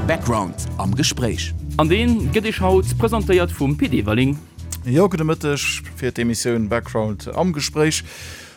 Background am Gespréich. An deen gëtt Iech haut presentéiert vum Pit Everling. Jo, gudde Mëtteg fir d'Emissioun Background am Gespréich.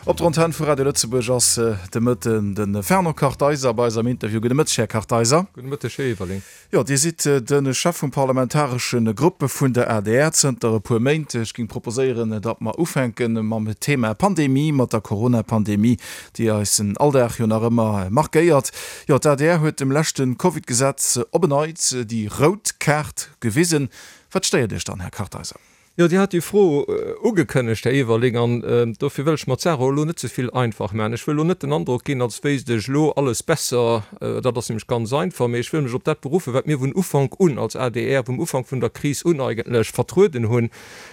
Op der Antenn vu Radio Lëtzebuerg ass de Mëtten de Fernand Kartheiser bei eis am Interview. Gudde Mëtteg, Här Kartheiser. Gudde Mëtteg, Här Everling. Jo, Dir sidd de Chef vum parlamentaresche Grupp vun der adr zënter e puer Méint. Ech géing proposéieren, datt mer ufänke mam Thema Pandemie, mat der Corona-Pandemie, déi eisen Alldag jo nach ëmmer markéiert. Jo, d'ADR huet dem leschte Covid-Gesetz op en Neits déi rout Kaart gewisen. Wat stéiert Iech dann, Här Kartheiser? Jo, Dir hat déi Fro ugekënnegt, Här Everling, an dofir wëll ech mer d'Saach och elo net ze vill einfach maachen. Ech wëll elo net den Androck ginn, als wéisst ech elo alles besser, dat ass nämlech ganz einfach, mee ech wëll mech op dat beruffen, wat mir vun Ufank un als adr, vum Ufank vun der Kris un eigentlech, vertrueden hunn.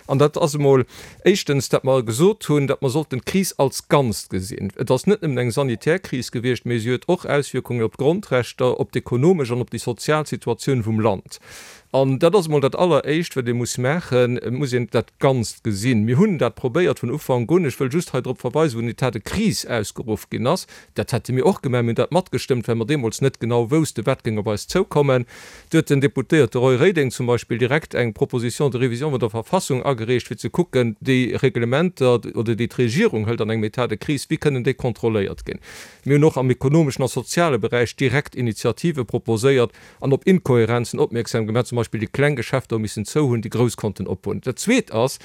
An dat ass emol éischtens, dat mer gesot hunn, datt mer sollten d'Kris als Ganzt gesinn. Et ass net nëmmen eng sanitär Kris gewiescht, mee si huet och Auswierkungen op d'Grondrechter, op d'ekonomesch an op déi sozial Situatioun vum Land. An dat ass emol dat Alleréischt, wat ee muss maachen, Et muss een dat Ganzt gesinn. Mir hunn dat probéiert vun Ufank un. Ech wëll just hei drop verweisen, wou den État de crise ausgeruff ginn ass, dat hätte mir och gemaach, mir hunn dat matgestëmmt, well mer deemools net genau woussten, wat géing op eis zoukommen. Do huet den Deputéierte Roy Reding zum Beispill direkt eng Proposition de révision vun der Verfassung agereecht, fir ze kucken, déi Reglementer oder déi d'Regierung hëlt an engem État de crise, wéi kënnen déi kontrolléiert ginn. Mir hunn och am ekonomeschen a soziale Beräich direkt Initiative proposéiert, an op Inkohärenzen opmierksam gemaach, zum Beispill déi kleng Geschäfter hu missen zou hunn, déi grouss konnten op hunn. Dat Zweet ass,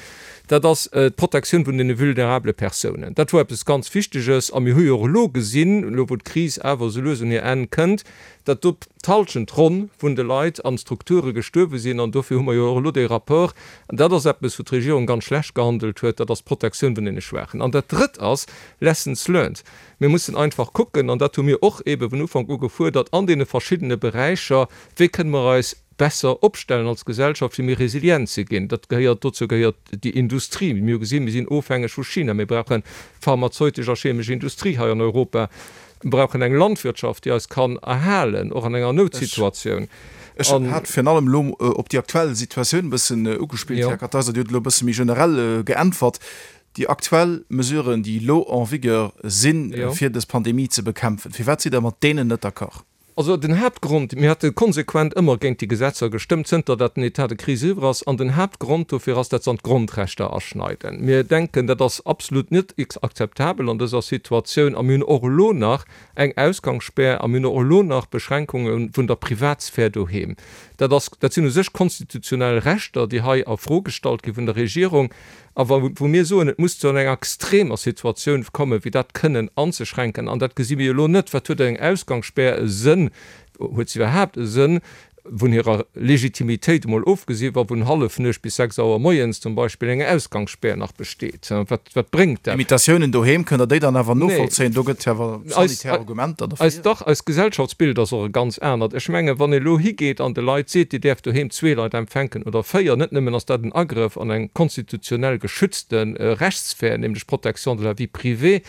dat ass d'Protektioun vun deene vulnerabele Persounen. Dat wor eppes ganz Wichteges a mir hu jo och elo gesinn, elo wou d'Kris awer esou lues un hir Enn kënnt, datt do d'Halschent ronn vun de Leit an Strukture gestuerwe sinn an dofir hu mer jo och elo dee Rapport. An dat ass eppes, wou d'Regierung ganz schlecht gehandelt huet, dat ass d'Protektioun vun deene Schwaachen. An dat Drëtt ass, Lessons learned. Mir mussen einfach kucken, an dat hu mir och eebe vun Ufank u gefuerdert an deene verschiddene Beräicher, wéi kënne mer eis besser opstellen als Gesellschaft, fir méi resilient ze ginn. Dat gehéiert, dozou gehéiert déi Industrie. Mir hu gesinn, mir sinn ofhängeg vu China. Mir brauchen pharmazeutesch a chemesch Industrie hei an Europa. Mir brauchen eng Landwirtschaft, déi eis kann erhalen, och an enger Noutsituatioun. Ech hat virun allem elo op déi aktuell Situatioun e bëssen ugespillt, Här Kartheiser. Dir hutt elo e bësse méi generell geäntwert. Déi aktuell Mesuren, déi elo en vigueur sinn, fir dës Pandemie ze bekämpfen, firwat sidd Der mat deenen net d'accord? Also den Haaptgrond, mir hate konsequent ëmmer géint déi Gesetzer gestëmmt, zënter dat den État de crise eriwwer ass, an den Haaptgrond dofir ass, dat se an d'Grondrechter aschneiden. Mir denken, dat ass absolut net akzeptabel an dëser Situatioun a mir hunn och elo nach eng Ausgangsspär a mir hunn och elo nach Beschränkunge vun der Privatsphär doheem. Dat ass, dat sinn u sech konstitutionell Rechter, déi hei a Fro gestallt gi vun der Regierung. A wa wou mir soen, et muss zu enger extremer Situatioun kommen, fir dat kënnen anzeschränken, an dat gesi mir jo elo net, wat huet eng Ausgangsspär e Sënn, huet se iwwerhaapt e Sënn, vun hirer Legitimitéit emol ofgesi, wa vun Hallefnuecht bis 6 Auer moies zum Beispill eng Ausgangsspär nach besteet, wat wat bréngt dat? Limitatiounen doheem, kënnt Der déi dann awer novollzéien? Do gëtt jo awer sanitär Argumenter dofir. Eis, dach, eist Gesellschaftsbild ass och e ganz anert. Ech mengen, wann ee elo higeet an de Leit seet, Dir däerft doheem zwee Leit empfänken oder véier, net nëmmen ass dat en Agrëff an eng konstitutionell geschützte Rechtssphär, nämlech d'Protection de la vie privée,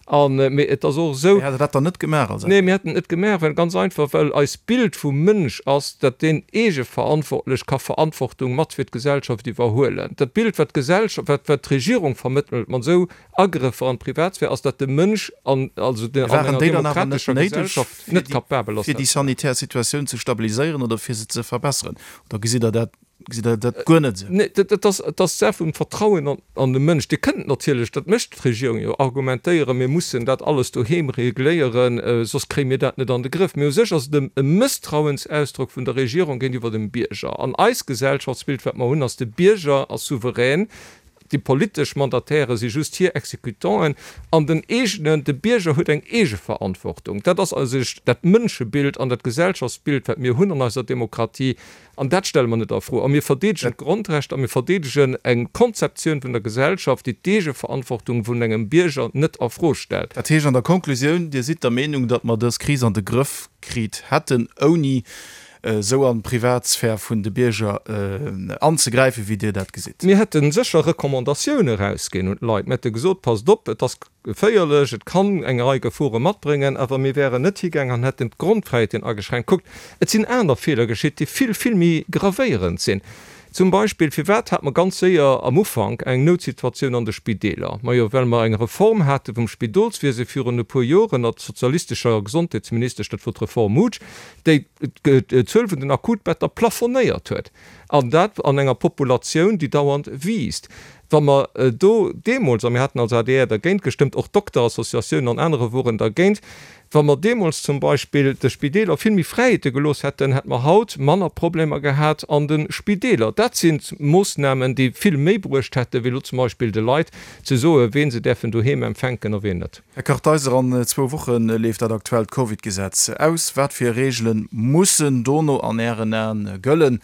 an, mee et ass och esou. Mee hätt Der dat dann net gemaach als Nee, mir hätten et net gemaach, well ganz einfach, well eist Bild vum Mënsch ass, datt deen eegeverantwortlech ka Verantwortung mat fir d'Gesellschaft iwwerhuelen. Dat Bild, wat d'Gesellschaft, wat, wat d'Regierung vermëttelt mat esou Agrëffer an d'Privatsphär ass, datt de Mënsch an, also den, an enger demokratescher Gesellschaft net kapabel ass, fir déi sanitär Situatioun ze stabiliséieren oder fir se ze verbesseren? Oder gesitt Der dat, gesitt Der dat guer net esou? Nee, dat ass, et ass d'Saach vum Vertrauen an, an de Mënsch. Dir kënnt natierlech, dat mécht d'Regierung jo, argumentéieren, mir mussen dat alles doheem regléieren, soss kréie mir dat net an de Grëff. Mee u sech ass et e Mësstrauensausdrock vun der Regierung géintiwwer dem Bierger. An eist Gesellschaftsbild, wat mer hunn, ass, de Bierger ass souverän, Déi politesch Mandataire si just hir Exécutanten an den eegenen, de Bierger huet eng Eegeverantwortung. Dat ass a sech dat Mënschebild an dat Gesellschaftsbild, wat mir hunn an eiser Demokratie, an dat stelle mer net a Fro. A mir verdeedegen d'Grondrechter a mir verdeedegen eng Konzeptioun vun der Gesellschaft, déi d'Eegeverantwortung vun engem Bierger net a Fro stellt. Dat heescht an der Konklusioun, Dir sidd der Meenung, datt mer dës Kris an de Grëff kritt hätten, ouni esou an d'Privatsphär vun de Bierger anzegräifen, wéi Dir dat gesitt? Mir hätte sécher Recommandatioune erausginn un d'Leit. Mir hätte gesot, Passt op, et ass geféierlech, et kann eng Rei Gefore matbréngen. Awer mir wären net higaangen an hätten d'Grondfräiheeten ageschränkt. Kuckt, et sinn aner Feeler geschitt, déi vill, vill méi gravéierend sinn. Zum Beispill, firwat hat mer ganz séier am Ufank eng Noutsituatioun an de Spideeler? Majo, well mer eng Reform hate vum Spidolswiese virun e puer Joren ënnert sozialistescher Gesondheetsministesch, dat wor d'Reform Mutsch, déi d'Zuel vun den Akutbetter plafonnéiert huet, an dat an enger Populatioun, déi dauernd wiisst. Wa mer do deemools, a mir haten als adr dergéint gestëmmt, och d'Dokterassociatiounen an anerer woren dergéint, wa mer deemools zum Beispill de Spideeler vill méi Fräiheete gelooss hätten, hätte mer haut manner Problemer gehat an de Spideeler. Dat si Moossnamen, déi vill méi bruecht hätten, wéi elo zum Beispill de Leit ze soen, ween se däerfen doheem empfänken a ween net. Här Kartheiser, an zwou Woche leeft dat aktuellt Covid-Gesetz aus. Wat fir Reegele mussen dono an Ären Aen gëllen?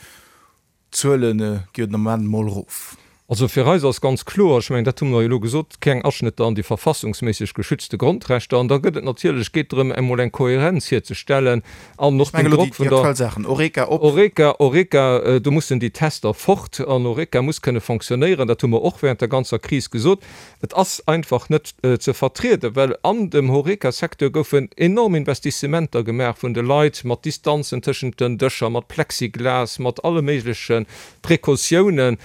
D'Zuele gi jo den Ament mol erof. Also fir eis ass ganz kloer, ech mengen, dat hu mer jo elo gesot, keng Aschnëtter an déi verfassungsméisseg geschützte Grondrechter. An da gëtt et natierlech, geet drëm, emol eng Kohärenz hierzestellen an och den Drock vun der. Ech mengen elo déi aktuell Saachen, Horeca op. Horeca, Horeca, do mussen déi Tester fort an Horeca muss kënne fonctionnéieren. Dat hu mer och während der ganzer Kris gesot. Et ass einfach net ze vertrieden, well an dem Horeca-Secteur goufen enorm Investissementer gemaach vun de Leit, mat Distanzen tëschent den Dëscher, mat Plexiglas, mat alle méigleche Precautiounen.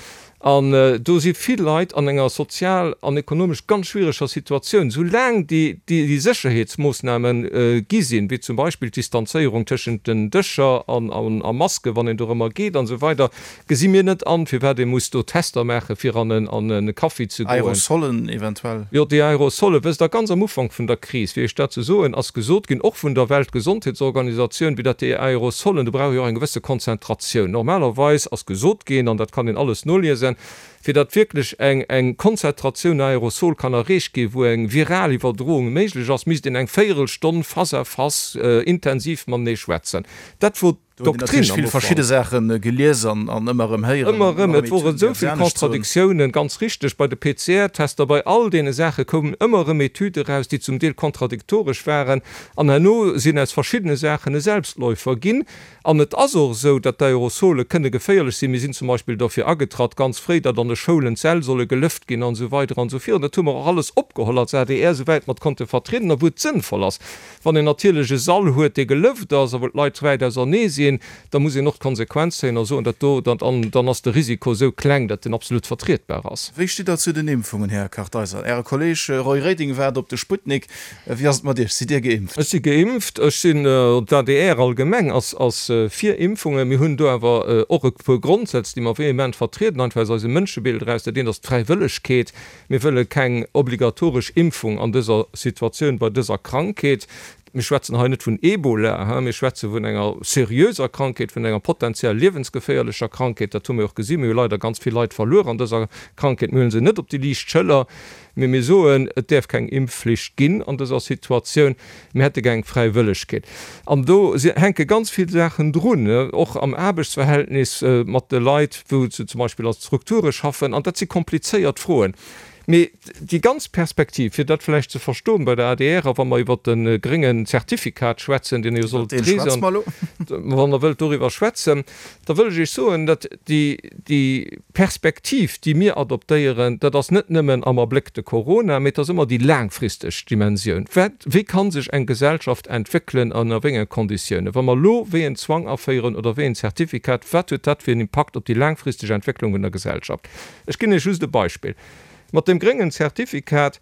An do si vill Leit an enger sozial an ekonomesch ganz schwiereger Situatioun. Soulaang déi Sécherheetsmoossname gi sinn, wéi zum Beispill d'Distanzéierung tëschent den Dëscher a Masken, wann een dorëmmer geet an esou weider, Gesi mir net an, firwat ee muss do Tester maachen, fir an en Kaffi ze goen. Aerosolen eventuell. Jo, déi Aerosole. Wësst Der, ganz am Ufank vun der Kris, fir Iech dat ze soen, ass gesot ginn, och vun der Weltgesondheetsorganisatioun, wéi datt déi Aerosolen, do brauch ee jo och eng gewësse Konzentratioun. Normalerweis ass gesot ginn, an dat kann een alles noliesen, fir datt wierklech eng eng Konzentratioun Aerosol kann erreecht ginn, wou eng viral Iwwerdroung méiglech ass, misst een eng Véierelstonn face à face intensiv matenee schwätzen. Dat wor. Do hunn een natierlech vill verschidde Saache gelies an ëmmer erëm héieren. Ëmmer erëm, et woren esou vill Contradictiounen, ganz richteg, bei de PCR-Tester, bei all deene Saache koumen ëmmer erëm Etüde eraus, déi zum Deel kontradiktoresch waren. An herno sinn aus verschiddene Saachen e Selbstläufer ginn. An et ass och esou, datt d'Aerosole kënne geféierlech sinn. Mir sinn zum Beispill derfir agetratt, ganz fréi, datt an de Schoulen d'Säll solle gelëft ginn an esou weider an esou virun. Dat hu mer och alles opgeholl als adr, souwäit mer et konnte vertrieden a wou et sënnvoll ass. Wann een natierlech e Sall huet, dee gelëft ass a wou d'Leit wäit ausernee sinn, da muss een och d'Konsequenz zéien a soen, dat do, dat an dann ass de Risiko esou kleng, datt en absolut vertrietbar ass. Wéi stitt Der zu den Impfungen, Här Kartheiser? Äre Kolleeg Roy Reding waart op de Sputnik. Wéi ass et mat Iech? Sidd Dir geimpft? Ech si geimpft. Ech sinn, d'ADR allgemeng ass ass fir Impfungen. Mir hunn do awer och e puer Grondsätz, déi mer vehement vertrieden, einfach aus eisem Mënschebild eraus. Dat eent ass d'Fräiwëllegkeet. Mir wëlle keng obligatoresch Impfung an dëser Situatioun bei dëser Krankheet. Mir schwätzen hei net vun Ebola, mir schwätze vun enger seriöser Krankheet, vun enger potenziell liewensgeféierlecher Krankheet. Dat hu mir och gesinn. Mir hu leider ganz vill Leit verluer an dëser Krankheet. Mir huele se net op déi liicht Schëller, mee mir soen, et däerf keng Impfflicht ginn an dëser Situatioun. Mir hätte gär eng Fräiwëllegkeet. An do hänke ganz vill Saachen drun, och am Aarbechtsverhältnis mat de Leit, wou se zum Beispill a Strukture schaffen. An dat si komplizéiert Froen. Mee déi ganz Perspektiv, fir dat vläicht ze verstoen bei der adr, a wa mer iwwert de gréngen Zertifikat schwätzen, deen jo soll d'Kris an, wann Der wëllt doriwwer schwätzen, da wëll ech Iech soen, datt déi, déi Perspektiv, déi mir adoptéieren, dat ass net nëmmen am Abléck de Corona, mee et ass ëmmer déi laangfristeg Dimensioun. Wat, wéi ka sech eng Gesellschaft entwéckelen an a wéi enge Konditiounen? Wa mer elo wéi en Zwang aféieren oder wéi en Zertifikat, wat huet dat fir en Impakt op déi laangfristeg Entwécklung vun der Gesellschaft? Ech ginn Iech just e Beispill. Mat dem gréngen Zertifikat,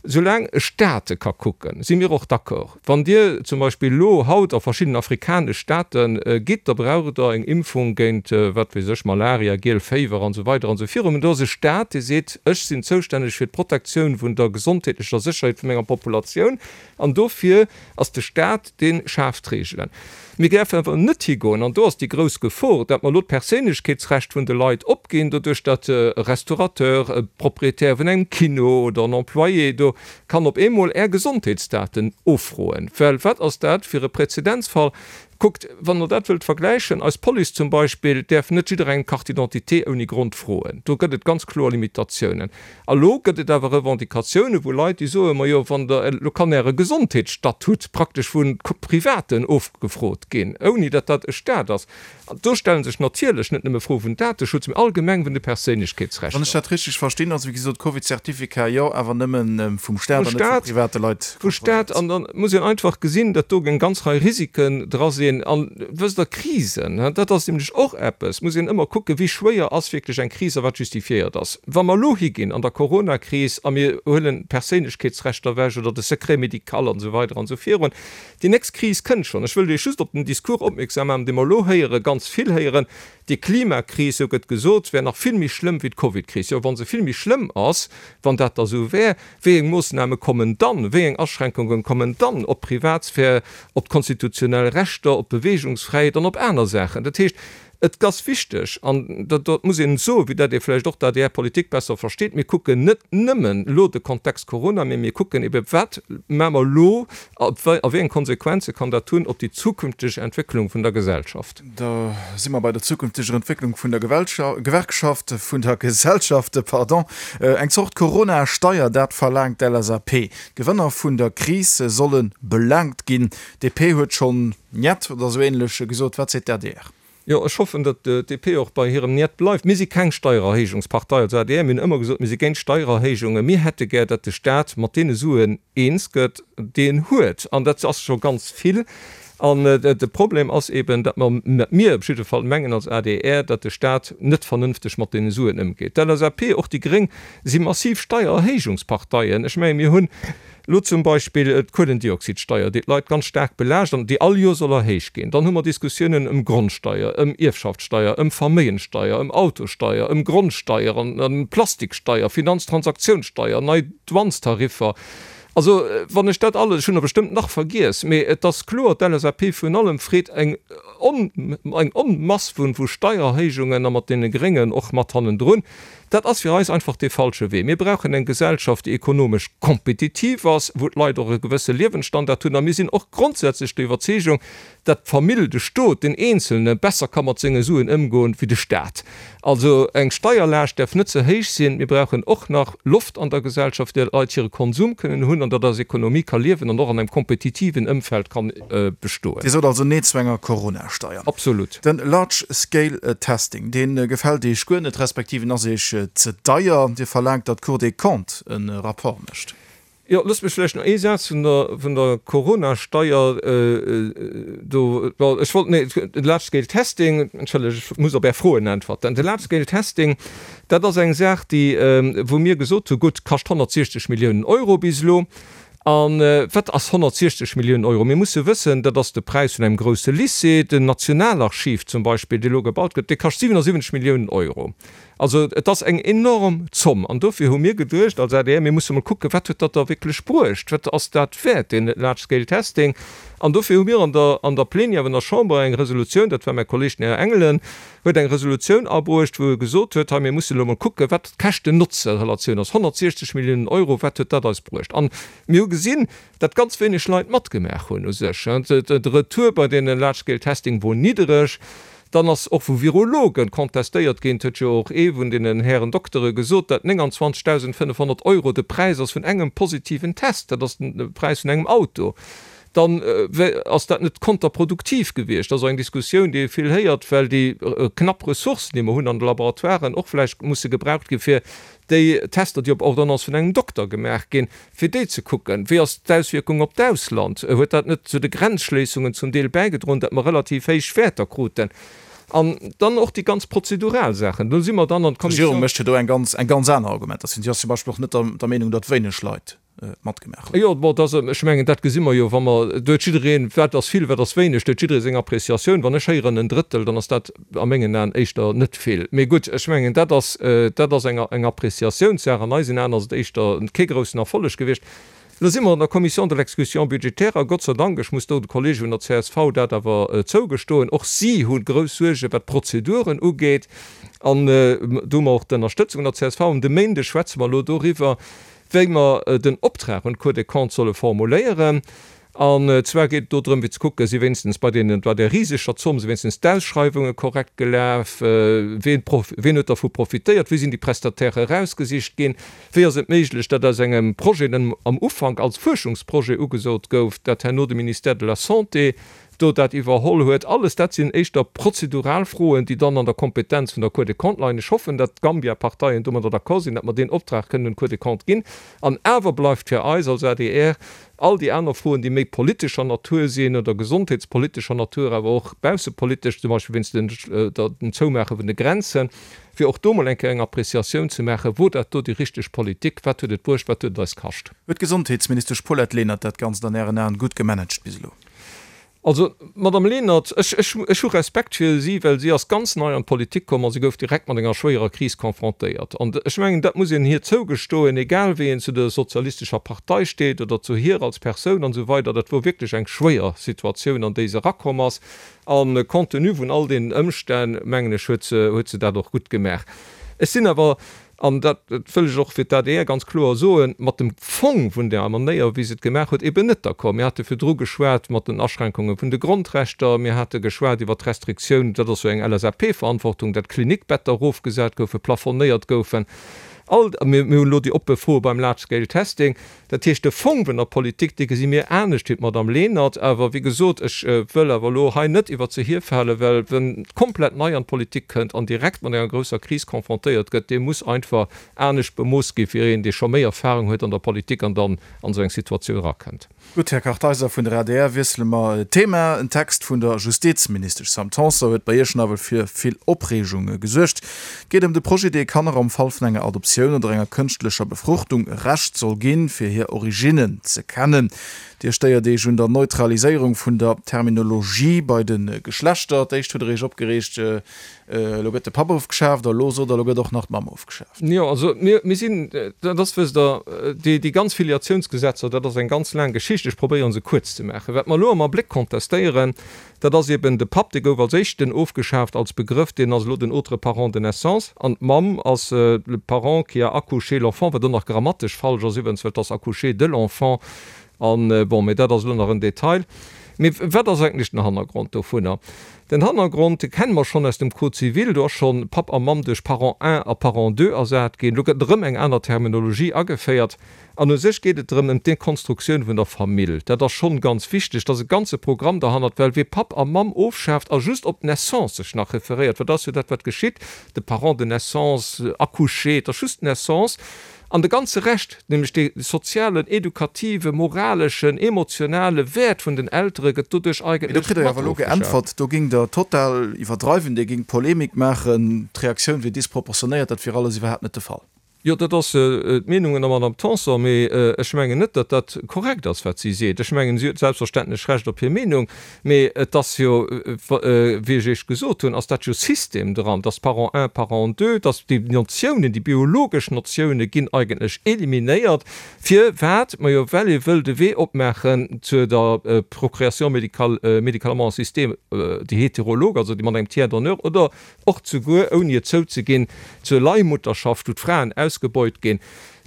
soulaang e Staate ka kucken, si mir och d'accord. Wann Dir zum Beispill elo haut a verschidden afrikanesch Staate gitt, da braucht Der eng Impfung géint, wat weess ech, Malaria, giel Féiwer an esou weider an esou virun. Mä do ass e Staat, dee seet, ech sinn zoustänneg fir d'Protektioun vun der gesondheetlecher Sécherheet vu menger Populatioun an dofir ass de Staat, dee schaaft d'Reegelen. Mir däerfen awer net higoen, an do ass déi grouss Gefor, datt mer elo d'Perséinlechkeetsrecht vun de Leit opginn, doduerch datt e Restaurateur, e Proprietär vun engem Kino oder en Employé do kann op eemol Är Gesondheetsdaten offroen. Well wat ass dat fir e Präzedenzfall? Kuckt, wann Der dat wëllt vergläichen, eis Police zum Beispill däerf net jidderengem d'Carte d'identité ouni Grond froen. Do gëtt et ganz kloer Limitatiounen. A lo gëtt et awer Revendicatiounen, wou Leit, déi soen, Majo, wann Der, elo kann Äre Gesondheetsstatut praktesch vu Privaten ofgefrot ginn, ouni datt dat e Stat ass. An do stelle sech natierlech net nëmme Froe vun Dateschutz, mee allgemeng vun de Perséinlechkeetsrechter. Wann ech dat richteg verstinn, also wéi gesot, Covid-Certificat jo, awer nëmme vum Stat an net vu private Leit kontrolléiert. Vum Stat. An da muss een einfach gesinn, datt do eng ganz Rei Risiken dra sinn. ginn. An, wësst Der, Krisen, dat ass nämlech och eppes, muss een ëmmer kucken, wéi schwéier ass wierklech eng Kris a wat justifiéiert ass. Wa mer elo higinn an der Coronakris a mir huelen d'Perséinlechkeetsrechter ewech oder de Secret médical an esou weider an esou virun, déi nächst Kris kënnt schonn. Ech wëll Iech just op den Discours opmierksam maachen, dee mer elo héieren, ganz vill héieren, Déi Klimakris, sou gëtt gesot, wär nach vill méi schlëmm wéi d'Covidkris. Jo, wa se vill méi schlëmm ass, wann dat da sou wär, wéi eng Moossname kommen dann, wéi eng Aschränkunge kommen dann op d'Privatsphär, op d'konstitutionell Rechter, op d'Beweegungsfräiheet an op aner Saachen? Dat heescht, et ass wichteg, an dat muss een soen, vue dat ee vläicht och d'ADR-Politik besser versteet, mir kucken net nëmmen elo de Kontext Corona, mee mir kucken ebe wat maache mer elo a wéi eng Konsequenze kann dat hunn op déi zukünfteg Entwécklung vun der Gesellschaft. Da si mer bei der zukünfteger Entwécklung vun der Gewerkschaft, vun der Gesellschaft, pardon. Eng Zort Corona-Steier, dat verlaangt d'LSAP. D'Gewënner vun der Kris solle belaangt ginn. D'DP huet schonn Njet oder esou ähnlech gesot. Wat seet d'ADR? Jo, ech hoffen, datt d'DP och bei hirem Njet bleift. Mir si keng Steiererhéijungspartei als adr. Mir hunn ëmmer gesot, mir si géint Steiererhéijungen. Mir hätte gär, datt de Staat mat deene Suen eens gëtt, déi en huet. An dat ass scho ganz vill. An de Problem ass eben, datt mer, datt mir op jidde Fall mengen als adr, datt de Stat net vernënfteg mat deene Suen ëmgeet. D'LSAP, och déi Gréng, si massiv Steiererhéijungsparteien. Ech mengen, mir hunn elo zum Beispill d'Kuelendioxidsteier, déi d'Leit ganz staark belaascht an déi all Joer soll erhéicht ginn. Dann hu mer Diskussiounen ëm Grondsteier, ëm Ierfschaftssteier, ëm Verméigenssteier, ëm Autosteier, ëm Grondsteier an ëm Plastiksteier, Finanztransaktiounssteier, nei Douanestariffer. Also, wann ech dat alles, ech hunn der bestëmmt nach vergiess, mee et ass kloer, d'LSAP virun allem freet eng eng Onmass vu vu Steiererhéijungen a mat deene Gréngen och mat hannendrun. Dat ass fir eis einfach dee falsche Wee. Mir brauchen eng Gesellschaft, déi ekonomesch kompetitiv ass, wou d'Leit och e gewësse Liewensstandard hunn. A mir sinn och grondsätzlech der Iwwerzeegung, datt d'Famill, de Stot, den Eenzelne besser ka mat senge Suen ëmgoen wéi de Stat. Also eng Steierlaascht däerf net ze héich sinn. Mir brauchen och nach Loft an der Gesellschaft, déi Leit hire Konsum kënnen hunn an datt eis Ekonomie ka liewen an och an engem kompetitiven Ëmfeld kann bestoen. Dir sot also Nee zu enger Corona-Steier. Absolut. Den Large Scale Testing, dee gefält Iech guer net, respektiv en ass Iech ze deier. Dir verlaangt, datt d'Cour des Comptes e Rapport mécht. Jo, loosst mech vläicht nach ee Saz vun der, vun der Corona-Steier do, bon, ech wollt, nee, de Large Scale Testing, entschëllegt, ech muss op Är Froen äntwerten. De Large Scale Testing, dat ass eng Saach, déi, wou mir gesot hu, gutt, kascht 160 Milliounen Euro bis elo. A wat ass 160 Milliounen Euro? Mir musse wëssen, dat ass de Präis vun engem grousse Lycée. Den Nationalarchiv zum Beispill, dee elo gebaut gëtt, dee kascht 77 Milliounen Euro. Also et ass eng enorm Zomm. An dofir hu mir geduecht als adr, mir musse mol kucken, wat huet dat da wierklech bruecht, wat ass dat wäert, deen Large Scale Testing. An dofir hu mir an der an der Plenière vun der Chamber eng Resolutioun, dat war mäi Kolleg den Här Engelen, huet eng Resolutioun abruecht, wou e gesot huet, hei mir mussen elo mol kucken, wat d'Käschten-Notze-Relatioun ass, 160 Milliounen Euro, wat huet dat eis bruecht? An mir hu gesinn, dat ganz wéineg Leit matgemaach hunn u sech. De Retour bei deene Large Scale Testing wor niddereg. Dann ass och vu Virologen contestéiert ginn, et huet jo och ee vun deenen Hären Doktere gesot, dat 29.500 Euro de Präis ass vun engem positiven Test, dat ass de Präis vun engem Auto. Dann ass dat net konterproduktiv gewiescht. Dat ass och eng Diskussioun, déi ee vill héiert, well déi knapp Ressourcen, déi mer hunn an de Laboratoiren, och vläicht musse gebraucht gi fir déi Tester, déi op Ordonnance vun engem Dokter gemaach ginn, fir déi ze kucken. Wéi ass d'Auswierkung op d'Ausland? Huet dat net zu de Grenzschléissungen zum Deel bäigedroen, datt mer relativ héich Wäerter kruten? An dann och déi ganz prozedural Saachen. Do si mer dann an d'Kommissioun. D'Regierung mécht jo do eng ganz, eng ganz aner Argumentatioun. Si ass zum Beispill och net der, der Meenung, datt wéineg Leit matgemaach hunn. Jo, bon, dat ass, ech mengen, dat gesi mer jo, wa mer, do huet jiddereen, wat ass vill, wat ass wéineg, do huet jidderee seng Appréciatioun. Wann ech héieren en Drëttel, dann ass dat a mengen Aen éischter net vill. Mee gutt, ech mengen, dat ass, dat ass eng, eng Appréciatiounssaach. An eisen Aen ass et éischter kee groussen Erfolleg gewiescht. Elo si mer an der Commission de l'exécution budgétaire a Gott sei Dank, ech muss do de Kollege vun der csv dat awer zougestoen, och si hu grouss Suergen, wat d'Prozeduren ugeet. An do hu mer och d'Ënnerstëtzung vun der csv. An de Méindeg schwätze mer elo doriwwer, wéi mer den Optrag un d'Cour des Comptes solle formuléieren. An zwar geet et do drëm, fir ze kucken, si wéinstens bei deenen, bei där riseger Zomm, si wéinstens d'Ausschreiwunge korrekt gelaf, ween prof, ween huet dervu profitéiert, wéi sinn déi Prestataire erausgesicht ginn, wéi ass et méiglech, datt aus engem Projet, den am Ufank als Fuerschungsprojet ugesot gouf, dat herno de Ministère de la Santé. do dat iwwerholl huet. Alles dat sinn éischter prozedural Froen, déi dann an der Kompetenz vun der Cour des Comptes leien. Ech hoffen, datt d'Gambia-Parteien domadder d'accord sinn, datt mer deen Optrag kënnen un d'Cour des Comptes ginn. An awer bleift fir eis als adr all déi aner Froen, déi méi politescher Natur sinn oder gesondheetspolitescher Natur, awer och baussepolitesch, zum Beispill wéinst dem Zoumaache vun de Grenzen, fir och do mol eng Kéier eng Appréciatioun ze maachen, Wor dat do déi richteg Politik? Wat huet et bruecht? Wat huet et eis kascht? Huet d'Gesondheetsministesch Paulette Lenert dat Ganzt an Ären Aen gutt gemanagt bis elo? Also, d'Madame Lenert, ech, ech, ech hu Respekt fir si, well si ass ganz nei an d'Politik komm a si gouf direkt mat enger schwéierer Kris confrontéiert. An ech mengen, dat muss een hir zougestoen, egal wéi een zu der sozialistescher Partei steet oder zu hir als Persoun an esou weider, dat wor wierklech eng schwéier Situatioun, an déi se erakomm ass. A compte tenu vun all deenen Ëmstänn, mengen ech, huet se, huet se dat och gutt gemaach. Ech sinn awer, an dat wëll ech och fir d'ADR ganz kloer soen, mat dem Fong vun där Manéier, wéi se et gemaach huet, eben net d'accord. Mir hate virdru geschwat mat den Aschränkunge vun de Grondrechter, mir hate geschwat iwwert d'Restriktioun, dat ass jo eng LSAP-Verantwortung, dat d'Klinikbetter erofgesat goufen, plafonnéiert goufen. All, mir hunn elo déi oppe Froe beim Large Scale Testing. Dat heescht, de Fong vun der Politik, dee gesi mir anescht wéi d'Madame Lenert. Awer, wéi gesot, ech wëll awer elo hei net iwwert se hierfalen, well wien komplett nei an d'Politik kënnt an direkt mat enger grousser Kris confrontéiert gëtt, dee muss einfach anescht bemooss gi wéi een, dee scho méi Erfahrung huet an der Politik an dann an esou eng Situatioun erakënnt. Gutt, Här Kartheiser vun der adr, wiessele mer d'Thema. En Text vun der Justizministesch Sam Tanson huet bei Iech nawell fir vill Opreegung gesuergt. Et geet ëm de Projet, dee Kanner am Fall vun enger Adoptioun oder enger kënschtlecher Befruchtung e Recht soll ginn, fir hir Originnen ze kennen. Dir stéiert Iech un der Neutraliséierung vun der Terminologie bei de Geschlechter. D'éischt hutt Der Iech opgereegt, Elo gëtt de Papp ofgeschaaft a elo sot Der, elo gëtt och nach d'Mamm ofgeschaaft. Jo, also mir, mir sinn, dat ass, wësst Der, déi, déi ganz Filiatiounsgesetzer, dat ass eng ganz laang Geschicht. Ech probéiere se kuerz ze maachen. Wat mer elo am Abléck contestéieren, dat ass eben de Papp, dee gouf als éischten ofgeschaaft als Begrëff, deen ass elo den autre parent de naissance an d'Mamm ass le parent qui a accouché l'enfant, wat och nach grammatesch falsch ass iwwrens, well et ass accouché de l'enfant. An, bon, mee dat ass elo nach en Detail. Mee wat ass eigentlech den Hannergrond dovunner? Den Hannergrond, dee kenne mer schonn aus dem Code civil, do ass schonn Papp a Mamm duerch Parent un a Parent deux ersat ginn. Elo gëtt erëm eng aner Terminologie ageféiert. An u sech geet et drëm, ëm d'Dekonstruktioun vun der Famill. Dat ass schonn ganz wichteg. Et ass e ganze Programm derhannert, well wee Papp a Mamm ofschaaft a just op d'Naissance sech nach referéiert, well dat ass jo dat, wat geschitt, de Parent de naissance, accouché, et ass just d'Naissance, An de ganze Rescht, nämlech dee sozialen, edukative, moraleschen, emotionale Wäert vun den Eltere gëtt doduerch Mee do eigentlech kritt Der jo mat awer elo ofgeschaaft. geäntwert, do géingt Der total iwwerdreiwen, Dir géingt Polemik maachen, d'Reaktioun wier disproportionéiert, dat wier alles iwwerhaapt net de Fall. Jo, dat ass d'Meenung vun der Madame Tanson, mee ech mengen net, datt dat korrekt ass, wat si seet. Ech mengen, si huet selbstverständlech Recht op hir Meenung, Mee et ass jo, wéi ech Iech gesot hunn, ass dat jo System dran, dass Parent un, Parent deux, dass déi Notiounen, déi biologesch Notioune ginn eigentlech eliminéiert. Firwat? Majo, well ee wëll de Wee opmaachen zu der Procréation médicale, médicalement assistée, déi heterolog, also déi mat engem Tiers donneur, oder och souguer, ouni et zouzeginn, zur Leihmutterschaft, wou d'Fraen ausgebeut ginn.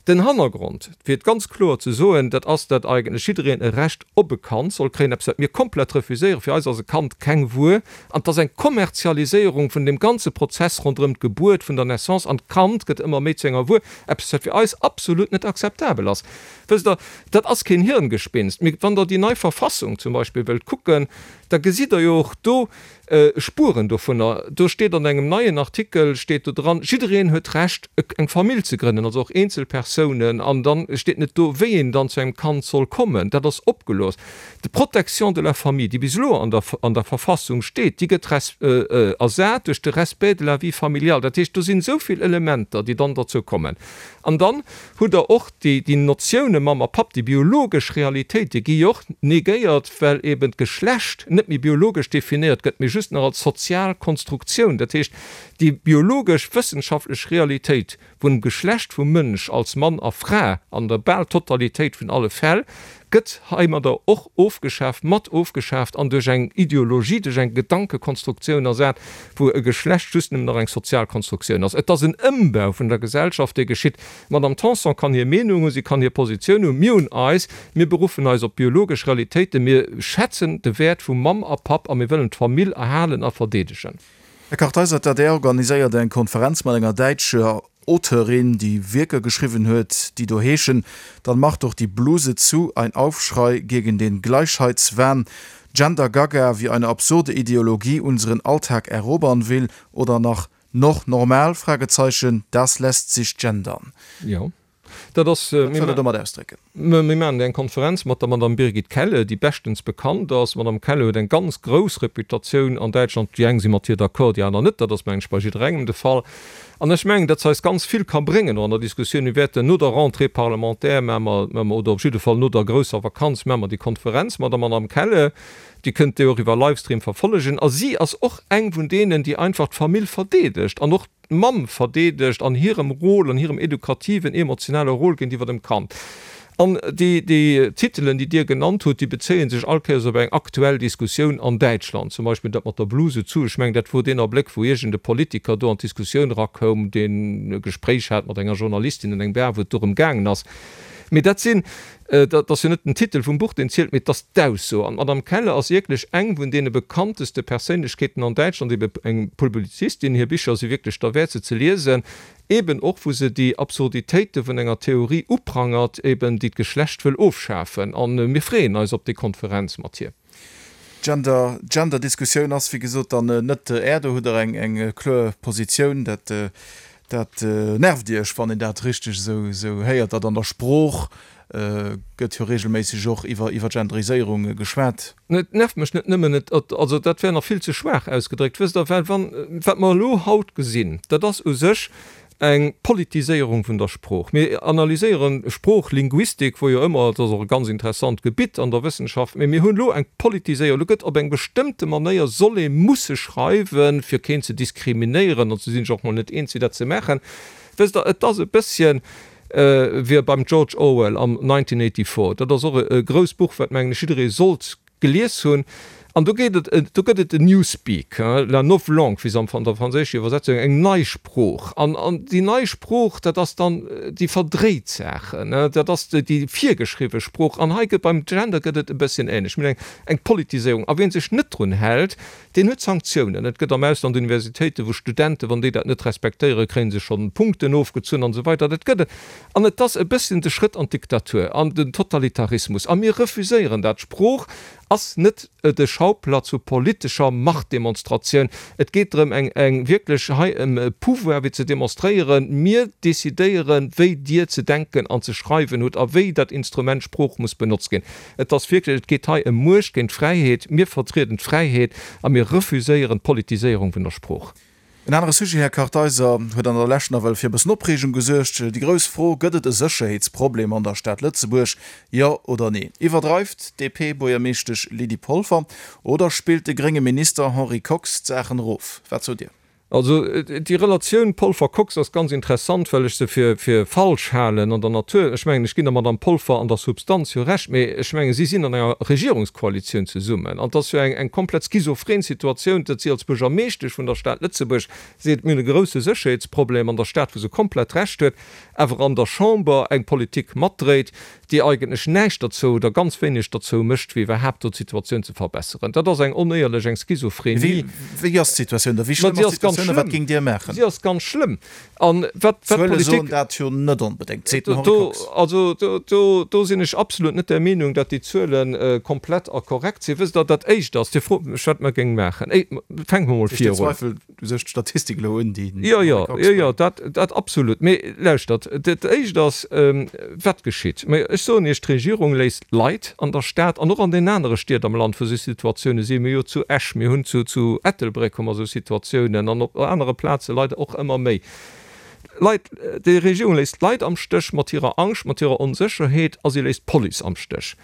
Den Hannergrond, fir et ganz kloer ze soen, dat ass, datt eigentlech jiddereen e Recht op e Kand soll kréien, eppes wat mir komplett refuséieren. Fir eis ass e Kand keng Wuer an et ass eng Kommerzialiséierung vun deem ganze Prozess ronderëm d'Gebuert, vun der Naissance an d'Kand gëtt ëmmer méi zu enger Wuer, eppes wat fir eis absolut net akzeptabel ass. Wësst Der, dat ass keen Hirngespinst. Mee wann Der déi nei Verfassung zum Beispill wëllt kucken, da gesitt Der jo och do, Spueren dovunner. Do steet an engem neien Artikel steet do dran, jiddereen huet d'Recht eng Famill ze grënnen, also och eenzel Persounen, an dann steet net do wéi een dann zu engem Kand soll kommen. Dat ass opgelooss. D'Protection de la famille, déi bis elo an der an der Verfassung steet, déi gëtt ersat duerch de Respect de la vie familiale. Dat heescht, do sinn esou vill Elementer, déi dann derzou kommen. An dann hutt Der och déi, déi Notioune Mamm a Papp, déi biologesch Realitéit, déi gi jo och negéiert, well eben d'Geschlecht net méi biologesch definéiert gëtt, mee just nach als sozial Konstruktioun. Dat heescht, déi biologesch, wëssenschaftlech Realitéit vum Geschlecht vum Mënsch als Mann a Fra an der bal Totalitéit vun alle Fäll gëtt heimadder och ofgeschaaft, mat ofgeschaaft an duerch eng Ideologie, duerch eng Gedankekonstruktioun ersat, wou e Geschlecht just nëmmen nach eng sozial Konstruktioun ass. Et ass en Ëmbau vun der Gesellschaft, dee geschitt. D'Madame Tanson kann hir Meenung hunn, si kann hir Positioun hunn. Mir hunn eis. Mir beruffen eis op biologesch Realitéiten. Mir schätzen de Wäert vu Mamm a Papp a mir wëllen d'Famill erhalen a verdeedegen. Här Kartheiser, d'ADR organiséiert eng Konferenz mat enger däitscher Auteurin, déi Wierker geschriwwen huet, déi do heeschen, Dann mach doch die Bluse zu, ein Aufschrei gegen den Gleichheitswahn. Gender Gaga, wie eine absurde Ideologie unseren Alltag erobern will oder nach Noch normal? Fragezeichen, Das lässt sich gendern. Jo, dat ass. Wat wëllt Der domat ausdrécken? Mir maachen eng Konferenz mat der Madame Birgit Kelle, déi beschtens bekannt ass. D'Madame Kelle huet eng ganz grouss Reputatioun an Däitschland. Déi eng si mat hir d'accord, déi aner net. Dat ass, mengen ech, bei jidderengem de Fall. An ech mengen, datt se eis ganz vill ka bréngen och an der Diskussioun. Mir wäerten no der Rentrée parlementaire maache mer, oder op jidde Fall no der grousser Vakanz maache mer déi Konferenz mat der Madame Kelle. Dir kënnt déi och iwwer Livestream verfollegen. A si ass och eng vun deenen, déi einfach d'Famill verdeedegt an och d'Mamm verdeedegt an hirem Rôle, an hirem edukativen, emotionale Rôle géintiwwer dem Kand. An déi, déi Titelen, déi Dir genannt hutt, déi bezéie sech all Kéiers op eng aktuell Diskussioun an Däitschland. Zum Beispill dat mat der Bluse zu. Ech mengen, dat wor deen Abléck, wou iergend e Politiker do an d'Diskussioun erakoum, deen e Gespréich hat mat enger Journalistin an engem Bar, wou et dorëm gaangen ass. Mee dat sinn, Et ass jo net den Titel vum Buch, deen zielt, mee et ass d'Ausso. An d'Madame Keller ass wierklech eng vun deene bekannteste Perséinlechkeeten an Däitschland, ebe eng Publizistin. Hir Bicher si wierklech derwäert, se ze liesen, eben och wou se déi Absurditéite vun enger Theorie uprangert, eben déi d'Geschlecht wëll ofschafen. A mir freeën eis op déi Konferenz mat hir. Gender, Gender-Diskussioun ass wéi gesot dann net Är, do hutt Der eng eng kloer Positioun. Dat, dat nervt Iech, wann een dat richteg esou esou héiert, datt an der Sprooch gëtt jo regelméisseg och iwwer iwwer Genderiséierung geschwat. Et nervt mech net nëmmen, et, also dat wär nach vill ze schwaach ausgedréckt, wësst Der, well wann, wat mer elo haut gesinn, dat ass u sech Eng Politiséierung vun der Sprooch. Mir analyséieren Sprooch, Linguistik, wou jo ëmmer, dat ass och e ganz interessant Gebitt an der Wëssenschaft, mee mir hunn elo eng Politiséierung. Elo gëtt op eng bestëmmte Manéier soll ee musse schreiwen, fir keen ze diskriminéieren, an se sinn sech och mol net eens, wéi dat ze maachen. Wësst Der, et ass e bësschen wéi beim George Orwell am 1984. Dat ass och e grousst Buch, wat, mengen ech, jidderee sollt gelies hunn, an do geet et, do gëtt et en Newspeak, la novlangue, wéi se am an der franséischer Iwwersetzung, eng nei Sprooch. An, an déi nei Sprooch, dat ass dann déi verdréit Saachen, dat ass déi virgeschriwwe Sprooch. An hei gëtt, beim Gender gëtt et e bësschen ähnlech. Mir hunn eng, eng Politiséierung. A wien sech net drun hält, deen huet Sanktiounen. Et gëtt am Ausland Universitéiten, wou Studenten, wann déi dat net respektéieren, kréie se schonn Punkten ofgezunn an esou weider. Dat gëtt et. An et ass e bësschen de Schrëtt an d'Diktatur, an den Totalitarismus. A mir refuséieren dat. D'Sprooch ass net de Schauplatz vu politescher Machtdemonstratioun. Et geet drëm, eng, eng wierklech hei ëm e Pouvoir wéi ze demonstréieren, Mir decidéieren, wéi Dir ze denken an ze schreiwen hutt a wéi dat Instrument Sprooch muss benotzt ginn. Et ass wierklech, et geet hei ëm Muecht géint Fräiheet. Mir vertrieden d'Fräiheet a mir refuséieren d'Politiséierung vun der Sprooch. En anere Sujet, Här Kartheiser, huet an der Lescht nawell fir e bëssen Opreegung gesuergt. Déi grouss Fro, Gëtt et e Sécherheetsproblem an der Stad Lëtzebuerg, jo oder nee? Iwwerdreift d'DP-Buergermeeschtesch Lydie Polfer oder spillt de grénge Minister Henri Kox d'Saachen erof? Wat sot Dir? Also déi Relatioun Polfer-Kox ass ganz interessant, well ech se fir falsch halen an der Natur. Ech mengen, ech ginn der Madame Polfer an der Substanz jo Recht, mee ech mengen, si sinn an enger Regierungskoalitioun zesummen an et ass jo eng komplett schizophren Situatioun, datt si als Buergermeeschtesch vun der Stad Lëtzebuerg seet, mir hunn e grousse Sécherheetsproblem an der Stad, wou se komplett Recht huet, awer an der Chamber eng Politik matdréit, déi eigentlech näischt derzou oder ganz wéineg derzou mécht, fir iwwerhaapt do d'Situatioun ze verbesseren. Dat ass eng onéierlech, eng Schizophrenie. Wéi ass d'Situatioun da? Wéi schlëmm ass d'Situatioun a wat géingt Dir maachen? Si ass ganz schlëmm. An wat d'Zuele soen dat jo net onbedéngt, seet den Henri Kox. Also do sinn ech absolut net der Meenung, datt déi Zuele komplett a korrekt sinn. Wësst Der, dat Éischt ass, Dir frot mech, wat mer géinge maachen. Fänke mer mol vir un. Ech zweifel u sech d'Statistik elo un, déi den Henri Kox bréngt. Jo, jo, dat absolut. Mee lauschtert, dat Éischt ass, wat geschitt? Mä ech soen Iech, d'Regierung léisst Leit an der Stad an och an den anere Stied am Land, wou esou Situatioune sinn, mir hu jo zu Esch, mir hunn zu Ettelbréck hu mer esou Situatiounen an op anere Plaze leider och ëmmer méi Leit, déi Regierung léisst d'Leit am Stéch mat hirer Angscht, mat hirer Onsécherheet a si léisst d'Police am Stéch.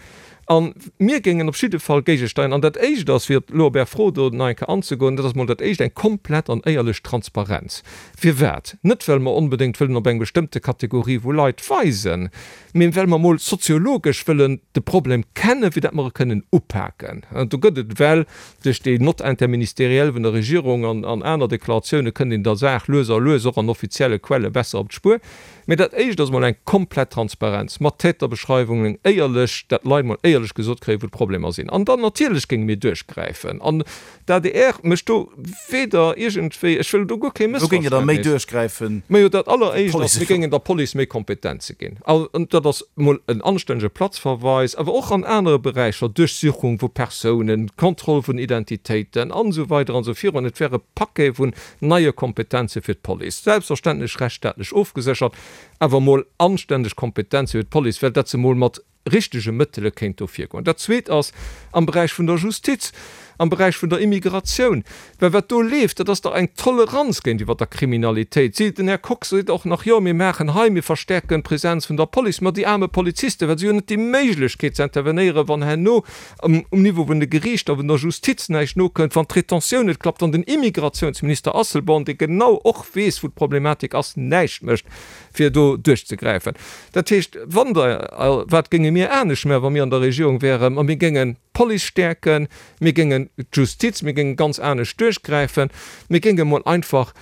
A mir géingen op jidde Fall géigesteieren. An dat Éischt ass, fir elo op Är Fro do nach eng Kéier anzegoen, dat ass emol dat Éischt, eng komplett an éierlech Transparenz. Firwat? Net well mer onbedéngt wëllen op eng bestëmmte Kategorie vu Leit weisen, mee well mer emol soziologesch wëllen de Problem kennen, fir dat mer e kënnen upaken. Do gëtt et ewell duerch déi Note interministérielle vun der Regierung an aner Deklaratioune kënnt een der Saach lues a lues och an offizielle Quelle besser op d'Spuer. Mee dat Éischt ass emol eng komplett Transparenz mat Täterbeschreiwungen, éierlech, dat d'Leit emol éierlech gesot kréien, wou d'Problemer sinn. An dann natierlech géinge mir duerchgräifen. An d'ADR mécht do weder iergendwéi, ech wëll do guer kee Wou géingt Dir da méi Mëssverständnis. duerchgräifen? Majo, dat Alleréischt ass, mir géingen der Police méi Kompetenze ginn. An dat ass emol en anstännege Platzverweis, awer och an anere Beräicher, Duerchsuchung vu Persounen, Kontroll vun Identitéiten an esou weider an esou virun. Et wär e Paquet vun neie Kompetenze fir d'Police, selbstverständlech rechtsstaatlech ofgeséchert, awer emol anstänneg Kompetenze fir d'Police, well dat se emol mat richtege Mëttele kéint do virgoen. Dat Zweet ass am Beräich vun der Justiz, am Beräich vun der Immigratioun, well wat do leeft, dat ass dach eng Toleranz géintiwwer der Kriminalitéit. Si, den Här Kox seet och nach, jo mir maachen hei, mir verstärken d'Präsenz vun der Police, ma déi aarme Polizisten, well si hunn net déi Méiglechkeet ze intervenéieren, wann herno um Niveau vun de Geriichter, vun der Justiz näischt nokënnt, wann d'Rétentioun net klappt, wann den Immigrationsminister Asselborn, dee genau och weess, wou d'Problematik ass, näischt mécht, fir do duerchzegräifen. Dat heescht, wann Der, wat géinge mir anescht maachen, wa mir an der Regierung wäeren? Ma mir géingen d'Police stäerken, mir géingen d'Justiz, mir géinge ganz anescht duerchgräifen, mir géinge mol einfach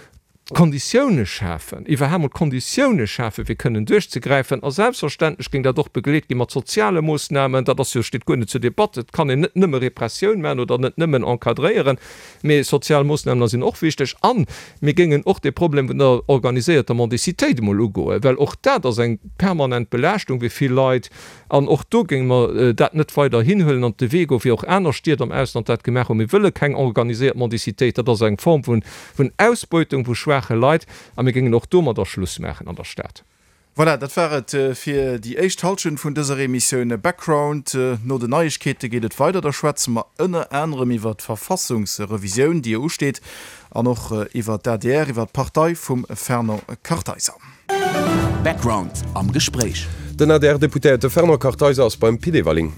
d'Konditioune schafen, iwwerhaapt mol d'Konditioune schafen, fir kënnen duerchzegräifen. A selbstverständlech géing dat och begleet gi mat soziale Moossnamen. Dat ass jo, steet guer net zur Debatt. Et kann een net nëmme Repressioun maachen oder net nëmmen encadréieren, mee sozial Moossnamen sinn och wichteg. A mir géingen och de Problem vun der organiséierter Mendicitéit emol ugoen, well och dat ass eng permanent Belaaschtung fir vill Leit. An och do géinge mer dat net weider hinhuelen an de Wee goen, wéi och aner Stied am Ausland dat gemaach hunn. Mir wëlle keng organiséiert Mendicitéit. Dat ass eng Form vun Ausbeutung vu schwaache Leit. A mir géingen och domadder Schluss maachen an der Stad. Voilà, dat war et fir déi éischt Halschent vun dëser Emissioun Background. No den Neiegkeete geet et weider. Da schwätze mer ënner anerem iwwer d'Verfassungsrevisioun, déi jo usteet, an och iwwer d'ADR, iwwer d'Partei vum Fernand Kartheiser. Background am Gespréich. Den ADR-Deputéierte Fernand Kartheiser ass beim Pit Everling.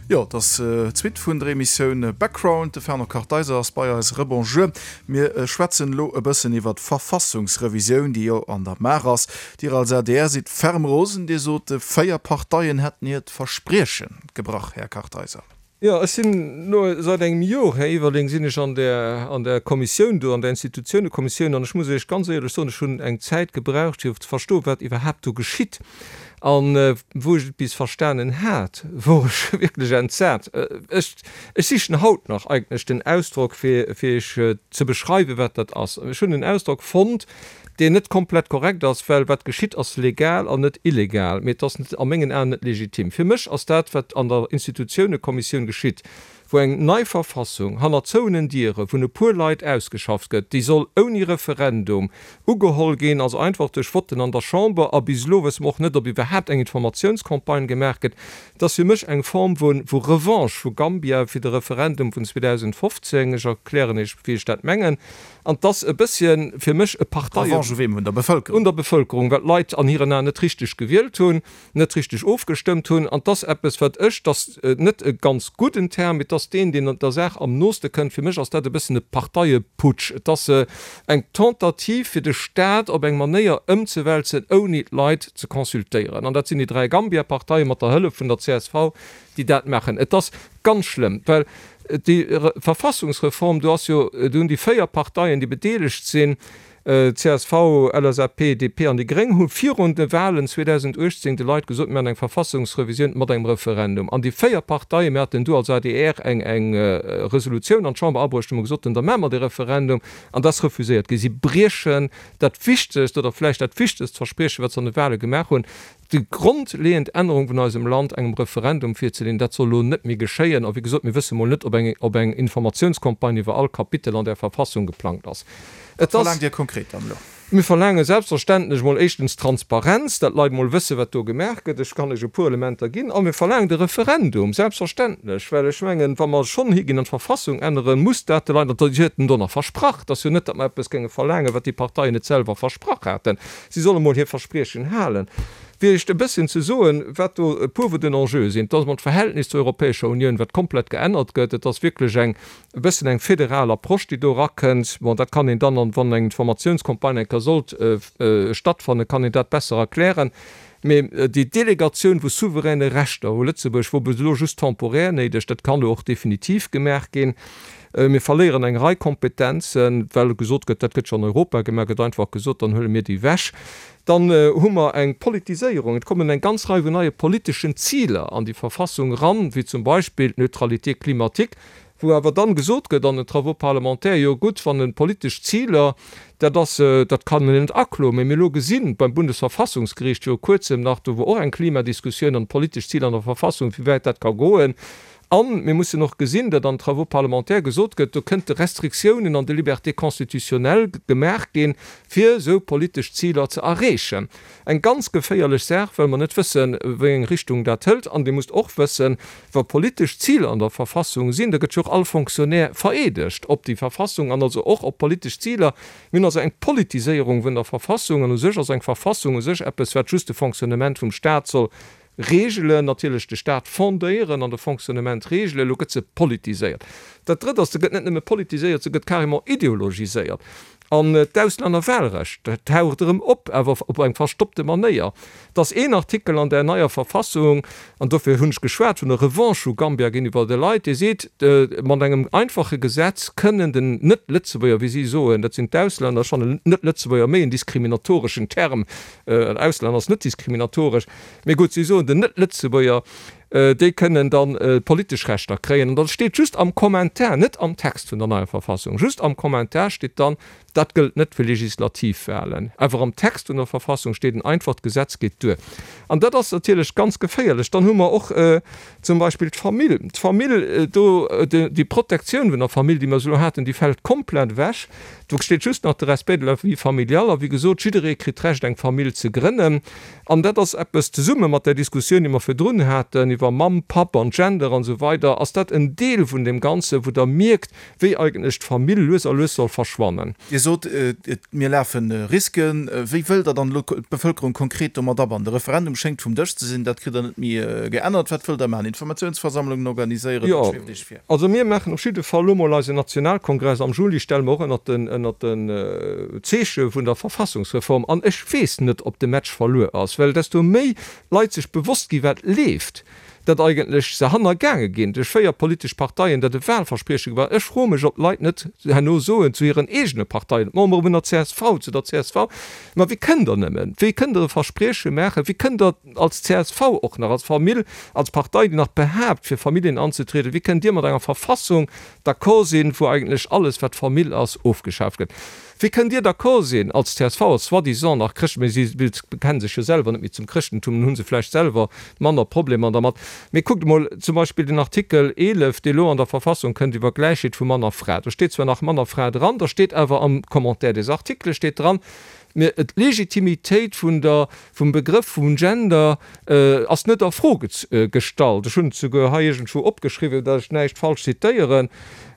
Jo, et ass d'Suite vun der Emissioun Background. De Fernand Kartheiser ass bei eis. Rebonjour. Mir schwätzen elo e bëssen iwwer d'Verfassungsrevisioun, déi jo an der Maach ass. Dir als adr sidd ferm rosen. Dir sot, 4 Parteien hätten hiert Versprieche gebrach, Här Kartheiser. Jo, ech sinn elo seit engem Jor, Här Everling, sinn ech an där, an där Kommissioun do, an där Institutiounekommissioun, an ech muss Iech ganz éierlech soen, ech hunn eng Zäit gebraucht, fir ze verstoen, wat iwwerhaapt do geschitt. An wou ech et bis verstanen hat, wor ech wierklech entsat. Ech, ech sichen haut nach eigentlech den Ausdrock, fir, fir Iech ze beschreiwen, wat dat ass. Ech hunn en Ausdrock fonnt, deen net komplett korrekt ass, well wat geschitt ass legal an net illegal, mee et ass a mengen Aen net legitim. Fir mech ass dat, wat an der Institutiounekommissioun geschitt, wou eng nei Verfassung hanner zouenen Diere vun e puer Leit ausgeschafft gëtt, déi soll ouni Referendum ugeholl ginn, also einfach duerch Votten an der Chamber, a bis elo wësse mer och net, ob iwwerhaapt eng Informatiounscampagne gemaach gëtt, dat ass fir mech eng Form vu vu Revanche vu Gambia fir de Referendum vun 2015. Ech erklären Iech, wéi ech dat mengen. An 't ass e bësschen fir mech e Parteien. Revanche u weem? Un der Bevëlkerung? Un der Bevëlkerung, well d'Leit an hiren Aen net richteg gewielt hunn, net richteg ofgestëmmt hunn. An 't ass eppes, wat ech, 't ass net e ganz gudden Term, mee 't ass deen, deen der Saach am nooste kënnt, fir mech ass dat e bëssen e Parteieputsch. Et ass eng Tentative, fir de Staat op eng Manéier ëmzewälzen, ouni d'Leit ze consultéieren. An dat sinn déi 3 Gambia-Parteien mat der Hëllef vun der csv, déi dat maachen. Et ass ganz schlëmm, well déi Verfassungsreform, do ass jo, do hunn déi 4 Parteien, déi bedeelegt sinn, csv, LSAP, DP an déi gréng, hu virun de Wahlen 2018 de Leit gesot, mir maachen eng Verfassungsrevisioun mat engem Referendum. An déi 4 Parteien, mir haten do als adr eng eng Resolutioun an d'Chamber abruecht, wou mer gesot hunn, da maache mer dee Referendum, an dat ass refuséiert ginn. Si briechen dat wichtegst oder vläicht dat wichtegst Verspriechen, wat se an de Wahle gemaach hunn, Déi grondleeënd Ännerung vun eisem Land engem Referendum virzeleeën, dat soll elo net méi geschéien. A wéi gesot, mir wësse mol net, ob eng, ob eng Informatiounscampagne iwwer all Kapitel an där Verfassung geplangt ass. Et ass. Wat verlaangt Dir konkret dann elo? Mir verlaange selbstverständlech mol éischtens Transparenz, dat d'Leit mol wësse wat do gemaach gëtt. Ech kann lech e puer Elementer ginn. A mir verlaangen de Referendum, selbstverständlech, well ech mengen, wa mer schonn higinn an d'Verfassung änneren, muss dat de Leit, an si huet en do nach versprach, et ass jo net, datt mer eppes géinge verlaangen, wat déi Parteien net selwer versprach haten, Si solle mol hir Verspriechen halen. Viecht e bësschen ze soen, wat do e puer vun den Enjeue sinn. Et ass emol d'Verhältnis zur Europäescher Unioun, wat komplett geännert gëtt. Et ass wierklech eng e bëssen eng federal Approche, déi do erakënnt. Bon, dat kann een dann, an wann eng Informatiounscampagne eng Kéier sollt stattfannen, kann een dat besser erklären. Mee déi Delegatioun vu souveräne Rechter u Lëtzebuerg wor bis elo just temporär néideg. Dat kann elo och definitiv gemaach ginn. Mir verléieren eng Rei Kompetenzen, well gesot gëtt, dat gëtt jo an Europa gemaach, gëtt einfach gesot, dann huele mir déi ewech. Dann hu mer eng Politiséierung. Et kommen eng ganz Rei vun neie politeschen Ziler an déi Verfassung eran, wéi zum Beispill d'Neutralité climatique, wou awer dann gesot gëtt an den Travaux parlementaires, jo gutt, wann e politesch Ziler, dat ass, dat kann een net akloen. Mä mir elo gesinn beim Bundesverfassungsgericht viru kuerzem nach, do wor och eng Klimadiskussioun an politesch Ziler an der Verfassung, wéi wäit dat ka goen. A mir mussen och gesinn, datt an Travaux parlementaires gesot gëtt, do kënnte Restriktiounen an de Libertés constitutionnelles gemaach ginn, fir esou politesch Ziler ze erreechen. Eng ganz geféierlech Saach, well mer net wëssen, wéi eng Richtung dat hëlt. An Dir musst och wëssen, wa politesch Ziler an der Verfassung sinn, da gëtt jo och all Fonctionnaire vereedegt op déi Verfassung an also och op politesch Ziler. Mir hunn also eng Politiséierung vun der Verfassung. An u sech ass eng Verfassung u sech eppes, wat just de Fonctionnement vum Stat soll Reegelen, natierlech de Staat fondéieren an de Fonctionnement reegelen, elo gëtt se politiséiert. Dat Drëtt ass, se gëtt net nëmme politiséiert, se gëtt carrément ideologiséiert. An d'Auslännerwahlrecht, dat taucht erëm op, awer op eng verstoppte Manéier. Et ass een Artikel an där neier Verfassung, an dofir hunn ech geschwat vun der Revanche vu Gambia géintiwwer de Leit, dee seet, mat engem einfache Gesetz kënnen den Net-Lëtzebuerger, wéi si soen, dat sinn d'Auslänner, ech fannen Net-Lëtzebuerger méi en diskriminatoreschen Term, Auslänner ass net diskriminatoresch, Mee gutt, si soen, den Net-Lëtzebuerger, déi kënnen da politesch Rechter kréien. An da steet just am Kommentar, net am Text vun der neier Verfassung, just am Kommentar steet dann, dat gëllt net fir Legislativwahlen. Awer am Text vun der Verfassung steet en einfacht Gesetz geet duer. An dat ass natierlech ganz geféierlech. Dann hu mer och zum Beispill d'Famill. D'Famill, do, déi Protektioun vun der Famill, déi mer esou elo haten, déi fält komplett ewech. Do steet just nach de Respect de la vie familiale. A wéi gesot, jidderee kritt d'Recht, eng Famill ze grënnen. An dat ass eppes, zesumme mat där Diskussioun, déi mer virdrun haten iwwer Mamm, Papp an Gender an esou weider, ass dat en Deel vun deem Ganzen, wou Der mierkt, wéi eigentlech d'Famill lues a lues soll verschwannen. Dir sot, mir lafe Risken. Wéi wëllt Der dann elo d'Bevëlkerung konkret domat abannen? De Referendum schéngt vum Dësch ze sinn, dat kritt Der net méi geännert. Wat wëllt Der maachen? Informatiounsversammlungen organiséieren? Wat schwieft Iech vir? Also mir maachen op jidde Fall elo mol eisen Nationalkongress am Juli, stelle mer och ënnert den, ënnert den Zeeche vun der Verfassungsreform. An ech weess net, ob de Match verluer ass, well desto méi Leit sech bewosst gi wat leeft, datt eigentlech se hannergaange ginn duerch 4 politesch Parteien, datt e Wahlversprieche war. Ech froe mech, ob d'Leit net herno soen zu hiren eegene Parteien, d'Membere vun der csv, zu der csv, Ma wéi kënnt Der nëmmen, wéi kënnt Der e Versprieche maachen, wéi kënnt Der, als csv och nach, als Famill, als Partei, déi nach behaapt, fir Familljen anzetrieden, wéi kënnt Dir mat enger Verfassung d'accord sinn, wou eigentlech alles, wat Famill ass, ofgeschaaft gëtt? Wéi kënnt Dir d'accord sinn als csv, als soi-disant nach Chrëscht, mee si bekennen sech jo selwer net méi zum Chrëschtentum, dann hu se vläicht selwer manner Problemer dermat, mee kuckt emol zum Beispill den Artikel 11, dee elo an der Verfassung kënnt iwwer Gläichheet vu Mann a Fra. Do steet zwar nach Mann a Fra dran, da steet awer am Commentaire des articles steet dran, Mee d'Legitimitéit vun der, vum Begrëff vum Gender ass net a Fro gestallt. Ech hunn et souguer hei iergendwou opgeschriwwen, datt ech näischt falsch zitéieren,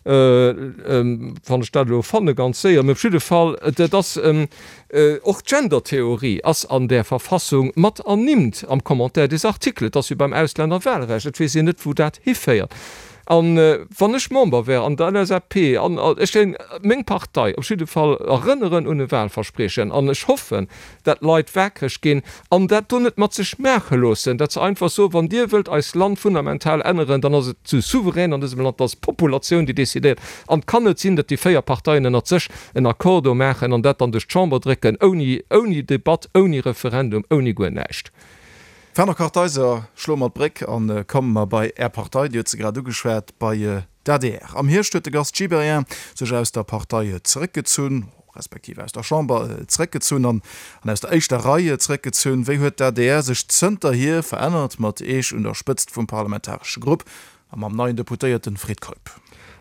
wann ech dat elo fanne ganz séier. Mee op jidde Fall, dat ass, och d'Gendertheorie ass an där Verfassung mat ernimmt am Commentaire des articles. Et ass wéi beim Auslännerwahlrecht, et weess een net, wou dat hiféiert. An wann ech Member wär an der LSAP, an ech géing meng Partei op jidde Fall erënneren un e Wahlverspriechen, an ech hoffen, dat d'Leit wakereg ginn an dat do net mat sech maache loossen, dat se einfach soen, wann Dir wëllt eist Land fundamental änneren, dann ass et zu souverän an dësem Land, dat ass d'Populatioun, déi decidéiert. An et kann net sinn, dat déi 4 Parteien ënnert sech en Accord do maachen an dat dann duerch d'Chamber drécken, ouni, ouni Debatt, ouni Referendum, ouni guer näischt. Fernand Kartheiser, Schloe mer d'Bréck a komme mer bei Är Partei, Dir huet se grad ugeschwat, bei d'ADR. Am Hierscht huet de Gast Gibéryen sech aus der Partei zeréckgezunn, respektiv aus der Chamber zeréckgezunn an aus der éischter Rei zeréckgezunn. Wéi huet d'ADR sech zënterhier verännert mat Iech un der Spëtzt vum parlamentaresche Grupp A mam neien Deputéierten Fred Keup.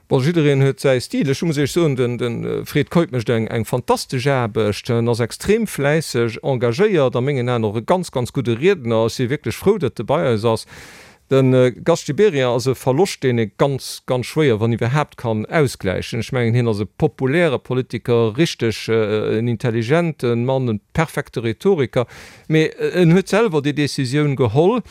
Bon, jiddereen huet säi Stil. Ech muss Iech soen, de Fred Keup mécht eng fantastesch Aarbecht. En ass extrem fläisseg, engagéiert, a mengen Aen och e ganz, ganz gudde Riedner. Ech si wierklech frou, datt e bei eis ass. De Gast Gibéryen ass e Verloscht, deen ee ganz, ganz schwéier, wann iwwerhaapt, kann ausgläichen. Ech mengen, hien ass e populäre Politiker, richteg en intelligente Mann, e perfekte Rhetoriker. Mee en huet selwer déi Decisioun geholl.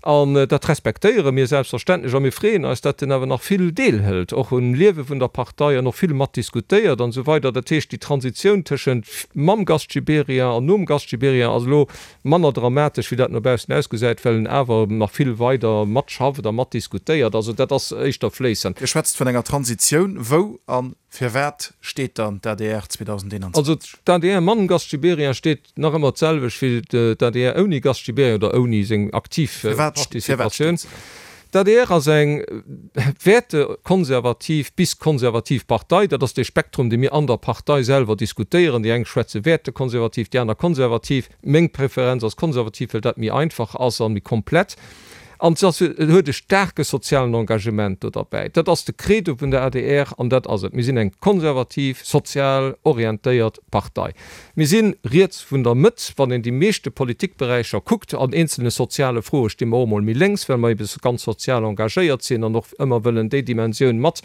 An dat respektéiere mir selbstverständlech a mir freeën eis, datt en awer nach vill deelhëlt, och um Liewe vun der Partei an och vill mat diskutéiert an esou weider. Dat heescht, déi Transitioun tëschent mam Gast Gibéryen an nom Gast Gibéryen ass elo manner dramatesch, wéi dat no baussen ausgesäit, well en awer nach vill weider matschafft a mat diskutéiert. Also dat ass éischter fléissend. Dir schwätzt vun enger Transitioun. Wou a firwat steet dann d'ADR 2021? Also d'ADR mam Gast Gibéryen steet Nach ëmmer d'selwecht wéi d'ADR ouni Gast Gibéryen oder ouni seng aktiv Participatioun. D'ADR ass eng wäertekonservativ bis konservativ Partei. Dat ass dee Spektrum, dee mir an der Partei selwer diskutéieren. Déi eng schwätze wäertekonservativ, déi aner konservativ. Meng Preferenz ass konservativ, well dat méi einfach ass a méi komplett. An se ass, huet e staarke sozialen Engagement do derbäi. Dat ass de Credo vun der adr an dat ass et. Mir sinn eng konservativ, sozial orientéiert Partei. Mir si riets vun der Mëtt, wann een déi meeschte Politikberäicher kuckt. An eenzelne soziale Froe sti mer och emol méi lénks, well mer ebe ganz sozial engagéiert sinn an och ëmmer wëllen déi Dimensioun mat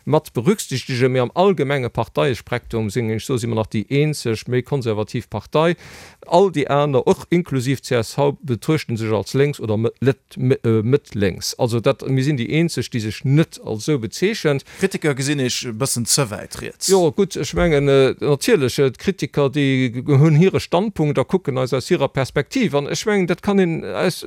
mat berücksichtegen. Mee am allgemenge Parteiespektrum, sinn ech soen, si mer nach déi eenzeg méi konservativ Partei. All déi aner, och inklusiv csv, betruechten sech als lénks oder mëtt-lénks. Also dat, mir sinn déi eenzeg, déi sech net als esou bezeechent. D'Kritiker gesinn Iech e bëssen ze wäit riets. Jo, gutt, ech mengen, natierlech, d'Kritiker, déi hunn hire Standpunkt a kucken eis aus hirer Perspektiv. An ech mengen, dat kann een aus,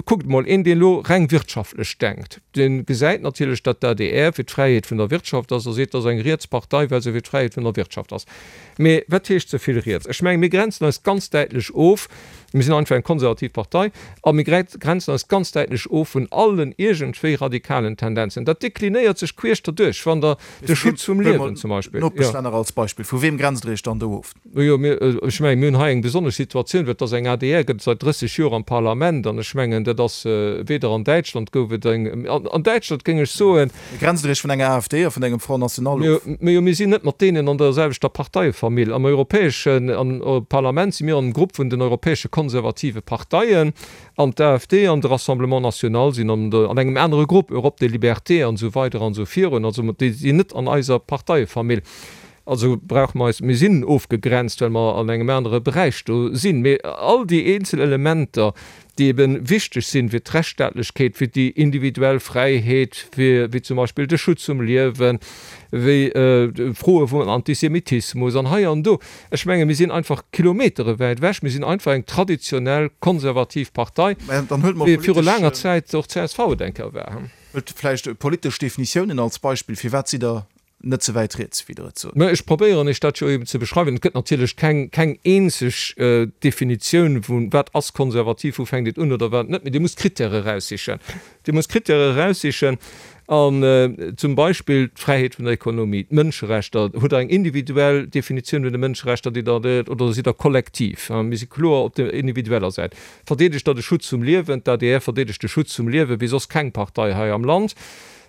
kuckt emol, een, deen elo reng wirtschaftlech denkt, dee gesäit natierlech, datt d'ADR fir d'Fräiheet vun der Wirtschaft ass a seet, dat ass eng riets Partei, well se fir d'Fräiheet vun der Wirtschaft ass. Mee wat heescht ze vill riets? Ech mengen, mir grenzen eis ganz däitlech of, mir sinn einfach eng konservativ Partei, a mir grenzen eis ganz däitlech of vun allen iergendwéi radikalen Tendenzen. Dat deklinéiert sech queesch derduerch, wann Der de Schutz vum Liewen zum Beispill. Nopeschlänner als Beispill, vu weem grenzt Der Iech dann do of? Jo, mir, ech mengen, mir hunn hei eng besonnesch Situatioun, well et ass eng adr gëtt et säit 30 Joer am Parlament, an ech mengen, dat ass, weder an Däitschland gouf et eng, an Däitschland géing ech soen, Grenzt Der Iech vun enger AfD a vun engem Front National of? Mee jo, mir sinn net mat deenen an der selwechter Parteiefamill. Am europäeschen Parlament si mir an dem Grupp vun den europäesche konservative Parteien, an d'AfD an de Rassemblement National sinn an engem anere Grupp, Europe des Libertés an esou weider an esou virun. Also déi sinn net an eiser Parteiefamill. Also brauche mer eis, mir sinn ofgegrenzt, well mer an engem anere Beräich do sinn. Mee all déi eenzel Elementer, déi ebe wichteg sinn fir d'Rechtsstaatlechkeet, fir déi individuell Fräiheet, fir wéi zum Beispill de Schutz vum Liewen, wéi Froe vum Antisemitismus an hei an do. Ech menge mir sinn einfach Kilometere wäit ewech. Mir sinn einfach eng traditionell konservativ Partei, wéi viru laanger Zäit och csv et eng Kéier war. Huelt vläicht politesch Definitiounen als Beispill. Firwat sidd Der Net ze wäit riets, wéi Der et sot. Mä ech probéieren Iech dat jo eben ze beschreiwen. Et gëtt natierlech keng, keng eenzeg Definitioun vu wat ass konservativ, wou fänkt et un oder wat net. Mee Dir musst Krittäre eraussichen. Dir musst Krittäre eraussichen an zum Beispill d'Fräiheet vun der Ekonomie, d'Mënscherechter. Hutt Der eng individuell Definitioun vun de Mënscherechter, déi Der, oder sidd Der kollektiv? Mir si kloer op der individueller Säit. Verdeedegt Der de Schutz vum Liewen? D'adr verdeedegt de Schutz vum Liewe wéi soss keng Partei hei am Land.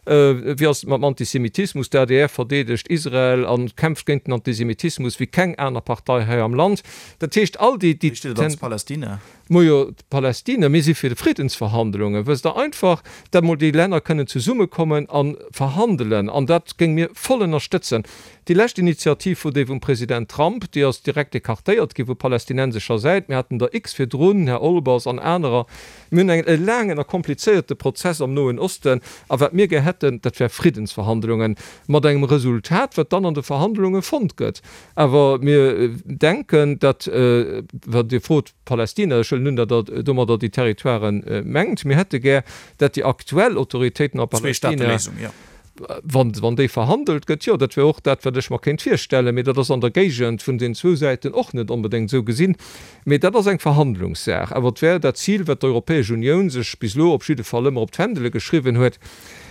Wéi ass et mam Antisemitismus? D'adr verdeedegt Israel a kämpft géint den Antisemitismus wéi keng aner Partei hei am Land. Dat heescht, all déi. Wéi steet et ëm d'Palästina? Majo, d'Palästina, mir si fir Friddensverhandlungen, wësst Der, einfach, dat mol déi Länner kënnen zesummekommen a verhandelen. An dat géinge mir voll ënnerstëtzen. Déi lescht Initiativ wor déi vum President Trump, déi ass direkt écartéiert gi vu palästinensescher Säit. Mir haten der x virdrun, Här Olbers an anerer. Mir hunn e laangen a komplizéierte Prozess am Noen Osten, a wat mir gär hätten, dat wär Friddensverhandlungen, mat engem Resultat, wat dann an de Verhandlunge fonnt gëtt. Awer mir denken, datt, wat Dir frot, Palästina, ech huelen un, datt Der domadder déi Territoiren mengt, mir hätte gär, datt déi aktuell Autoritéiten a Palästina, Wann, wann déi verhandelt gëtt, jo, dat wär och dat, wat ech mer kéint virstellen, mee dat ass an der Géigend vun den zwou Säiten och net onbedéngt esou gesinn. Mee dat ass eng Verhandlungssaach. Awer et wär dat Zil, wat d'Europäesch Unioun sech bis elo op jidde Fall ëmmer op d'Fändele geschriwwen huet.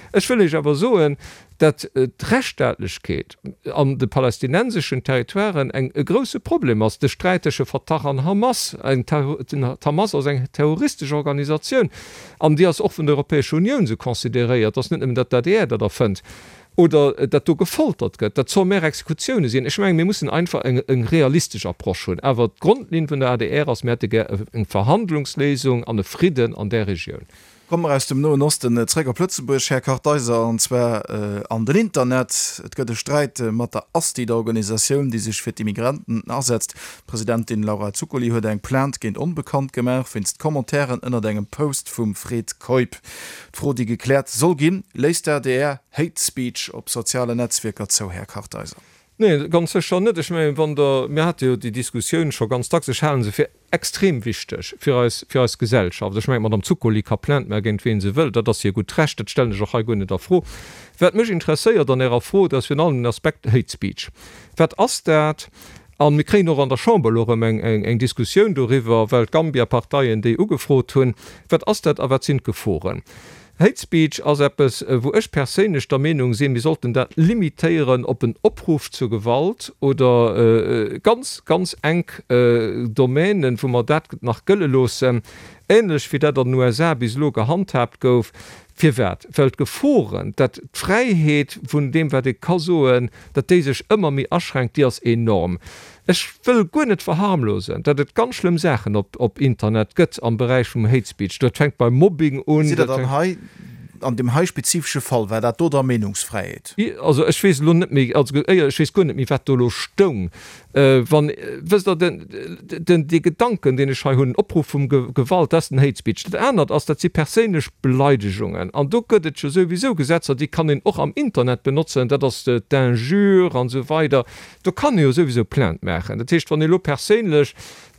Ech wëll Iech awer soen, dat d'Rechtsstaatlechkeet an de palästinenseschen Territoiren eng, e grouse Problem ass. De Sträit tësche Fatah an Hamas, eng, d'Hamas ass eng terroristesch Organisatioun, An déi ass och vun der Europäescher Unioun esou consideréiert. Et ass net nëmmen, datt d'ADR dat erfënnt oder datt do gefoltert gëtt, dat sommaire Exekutioune sinn. Ech mengen, mir mussen einfach eng realistesch Approche hunn. Awer d'Grondlinn vun der adr ass, mir hätte gär eng Verhandlungsléisung an e Fridden an där Regioun. Komme mer aus dem Noen Osten zréck op Lëtzebuerg, Här Kartheiser, an zwar an den Internet. Et gëtt e Sträit mat der ASTI, der Organisatioun, déi sech fir d'Immigranten asetzt. D'Presidentin Laura Zuccoli huet eng Plainte géint Onbekannt gemaach, wéinst Commentairen ënnert engem Post vum Fred Keup. D'Fro, déi gekläert soll ginn, Léisst d'ADR Hate Speech op sozialen Netzwierker zou, Här Kartheiser? Nee, ganz sécher net. Ech mengen, wann Der, mir hate jo déi Diskussioun scho ganz dacks, ech hale se fir extrem wichteg fir eis, fir eis Gesellschaft. Ech mengen, d'Madame Zuccoli ka Plainte maache géint ween se wëll, dat ass hir gutt Recht, dat stellen ech och hei guer net a Fro. Wat mech interesséiert an Ärer Fro, dat ass virun allem den Aspekt Hate Speech. Wat ass dat? A mir kréien och an der Chamber elo erëm eng, eng, eng Diskussioun doriwwer, well d'Gambia-Parteien déi ugefrot hunn. Wat ass dat a wat sinn d'Geforen? Hate Speech ass eppes, wou ech perséinlech der Meenung sinn, mir sollten dat limitéieren op en Opruff zur Gewalt oder ganz, ganz enk Domänen, wou mer dat nach gëlle loossen, ähnlech wéi dat an den USA bis elo gehandhaabt gouf. Firwat? Well d'Geforen, dat d'Fräiheet vun deem, wat ee ka soen, dat déi sech ëmmer méi aschränkt, déi ass enorm. Ech wëll guer net verharmlosen, datt et ganz schlëmm Saachen op Internet gëtt am Beräich vum Hate Speech. Dat fänkt beim Mobbing un. Sidd Der dann hei, an deem hei spezifesche Fall, war dat do da Meenungsfräiheet? Also ech weess elo net méi, also éier, ech weess guer net méi, wat do elo stoung. Wann, wësst Der, den, den, dee Gedanken, deen ech hei hunn, Opruff vum Gewalt, dat ass den Hate Speech. Dat anert ass, dat si perséinlech Beleidegungen. An do gëtt et jo souwisou Gesetzer, déi kann een och am Internet benotzen, dat ass d'Injure an esou weider. Do kann ee jo souwisou Plainte maachen. Dat heescht, wann ee lo perséinlech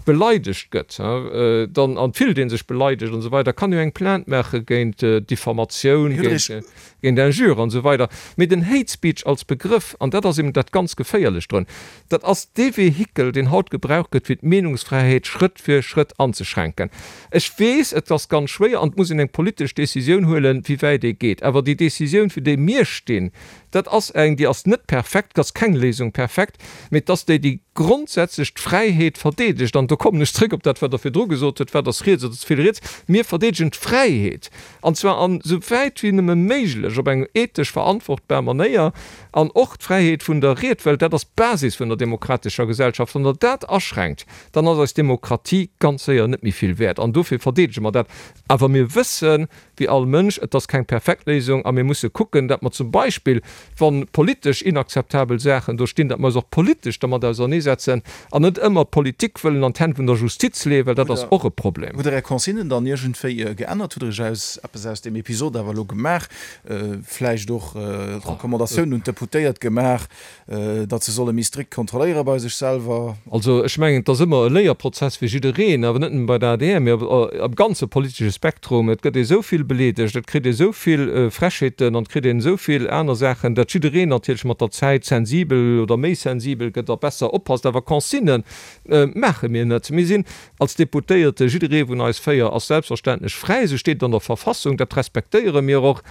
beleidegt gëtt, dann, an et fillt ee sech beleidegt an esou weider, kann ee jo eng Plainte maache géint Diffamatioun, géint Injure an esou weider. Mee den Hate Speech als Begrëff, an dat ass eben dat ganz Geféierlecht drun, dat ass dee Vehikel, deen haut gebraucht gëtt, fir d'Meenungsfräiheet Schrëtt fir Schrëtt anzeschränken. Ech weess, et ass ganz schwéier an et muss een eng politesch Décisioun huelen, wéi wäit ee geet. Awer déi Décisioun, fir déi mir stinn, Dat ass eng, déi ass net perfekt, et ass keng Léisung perfekt, mee et ass déi, déi grondsätzlech d'Fräiheet verdeedegt. An do kommen ech zréck op dat, wat Der virdru gesot hutt, Wat ass riets oder ze vill riets? Mir verdeedegen d'Fräiheet, an zwar an esou wäit wéi nëmme méiglech op eng ethesch verantwortbar Manéier, an och d'Fräiheet vun der Ried, well dat ass d'Basis vun der demokratescher Gesellschaft. Wann Der dat aschränkt, dann ass eis Demokratie ganz séier net méi vill wäert. An dofir verdeedege mer dat. Awer mir wëssen, wéi all Mënsch, et ass keng perfekt Léisung a mir musse kucken, datt mer zum Beispill, wa politesch inakzeptabel Saachen do stinn, datt mer eis och politesch dermat auserneesetzen an net ëmmer d'Politik wëllen an d'Hänn vun der Justiz leeën, well dat ass och e Problem. Hutt Der Är Consignen dann iergendwéi geännert? Hutt Der Iech aus eppes aus deem Episod awer elo gemaach, vläicht och Recommandatiounen un d'Deputéiert gemaach, Datt se solle méi strikt kontrolléiere bei sech selwer. Also ech mengen, et ass ëmmer e Léierprozess fir jiddereen, awer net nëmme bei der adr, mee am ganze politesche Spektrum. Et gëtt ee sou vill beleedegt, et kritt ee sou vill Frechheeten an et kritt een esou vill aner Saachen, datt jiddereen natierlech mat der Zäit sensibel oder méi sensibel gëtt a besser oppasst. Awer Consignë maache mir net. Mir sinn als Deputéierte, jidderee vun eis 4 ass selbstverständlech fräi, esou steet et an der Verfassung, dat respektéiere mir och.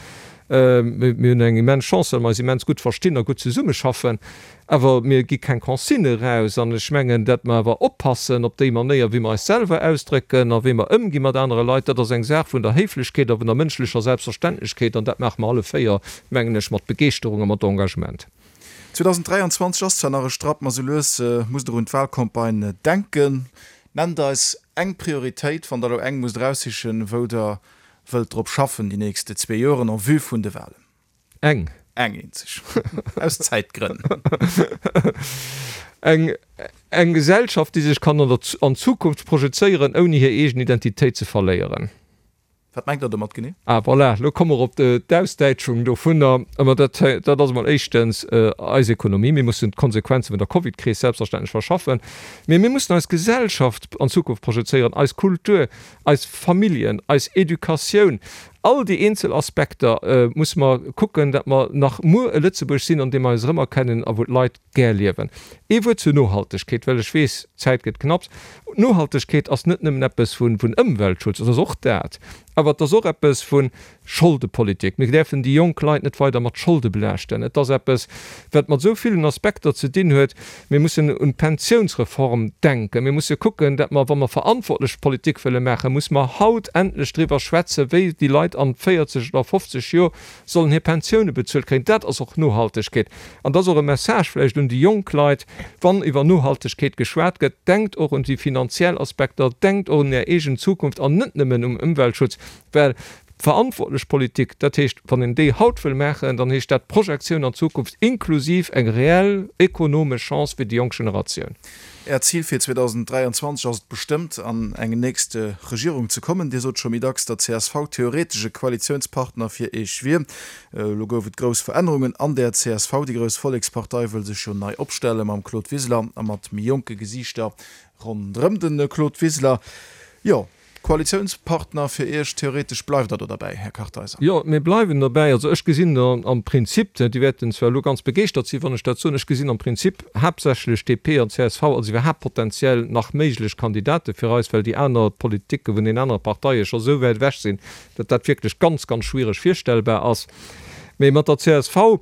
Mir hunn eng immens Chance, well mer eis immens gutt verstinn a gutt zesummeschaffen. Awer mir gi keng Consigne eraus. An ech mengen, datt mer awer oppassen op déi Manéier, wéi mer eis selwer ausdrécken a wéi mer ëmgi mat anere Leit. Dat ass eng Saach vun der Héiflechkeet a vun der mënschlecher Selbstverständlechkeet. An dat maache mer alle 4, mengen ech, mat Begeeschterung a mat Engagement. 2023 ass zwar nach e Strapp, ma sou lues musst Der un d'Wahlcampagne denken. Nennt eis eng Prioritéit, wann Der elo eng musst eraussichen, wou Der wëllt drop schaffen déi nächste zwee Joren en vue vun de Wahlen? Eng. Eng eenzeg. Aus Zäitgrënn. Eng, eng Gesellschaft, déi sech kann an der, an d'Zukunft projezéieren, ouni hir eegen Identitéit ze verléieren. Wat mengt Der domat genee? Ah, voilà, elo komme mer op d'Ausdäitschung dovunner. Mä dat, dat ass emol éischtens eis Ekonomie. Mir mussen d'Konsequenze vun der Covidkris selbstverständlech verschaffen. Mee mir mussen eis Gesellschaft an d'Zukunft projezéieren, eis Kultur, eis Familljen, eis Educatioun, all déi eenzel Aspekter musse mer kucken, datt mer nach muer e Lëtzebuerg sinn, an deem mer eis erëmerkennen a wou d'Leit gär liewen. Ee Wuert zur Nohaltegkeet, well ech weess, d'Zäit gëtt knapps. Nohaltegkeet ass net nëmmen eppes vun Ëmweltschutz, et ass och dat, awer et ass och eppes vu Scholdepolitik. Mir däerfen déi jonk Leit net weider mat Scholde belaaschten. Et ass eppes, wat mat esou villen Aspekter ze dinn huet. Mir mussen un d'Pensiounsreform denken. Mir musse kucken, datt mer, wa mer verantwortlech Politik wëlle maachen, musse mer haut endlech driwwer schwätzen, wéi déi Leit an 40 oder 50 Joer sollen hir Pensioune bezuelt kréien. Dat ass och Nohaltegkeet. An dat ass och e Message vläicht un déi jonk Leit, wann iwwer Nohaltegkeet geschwat gëtt, Denkt och un déi finanziell Aspekter, denkt och un Är eegen Zukunft an net nëmmen um Ëmweltschutz, well. Verantwortlech Politik, dat heescht, wann een déi haut wëll maachen, dann heescht dat Projektioun an d'Zukunft inklusiv eng reell ekonomesch Chance fir déi jonk Generatioun. Äert Zil fir 2023 ass et bestëmmt, an eng nächst Regierung ze kommen. Dir sot scho méi dacks, datt csv theoretesch e Koalitiounspartner fir Iech wier. Elo gouf et grouss Verännerungen an der csv. Déi grouss Vollekspartei wëll sech jo nei opstelle mam Claude Wiseler a mat méi jonke Gesiichter ronderëm de Claude Wiseler. Jo. Koalitiounspartner fir Iech, theoretesch bleift Der do derbäi, Här Kartheiser? Jo, mir bleiwen derbäi. Also ech gesinn am Prinzip, déi wäerten zwar elo ganz begeeschtert sinn, wann ech dat soen, ech gesinn am Prinzip haaptsächlech DP an csv als iwwerhaapt potenziell nach méiglech Kandidate fir eis, well déi aner Politike vun den anere Parteie scho sou wäit ewech sinn, datt dat wierklech ganz, ganz schwiereg virstellbar ass. Mee mat der csv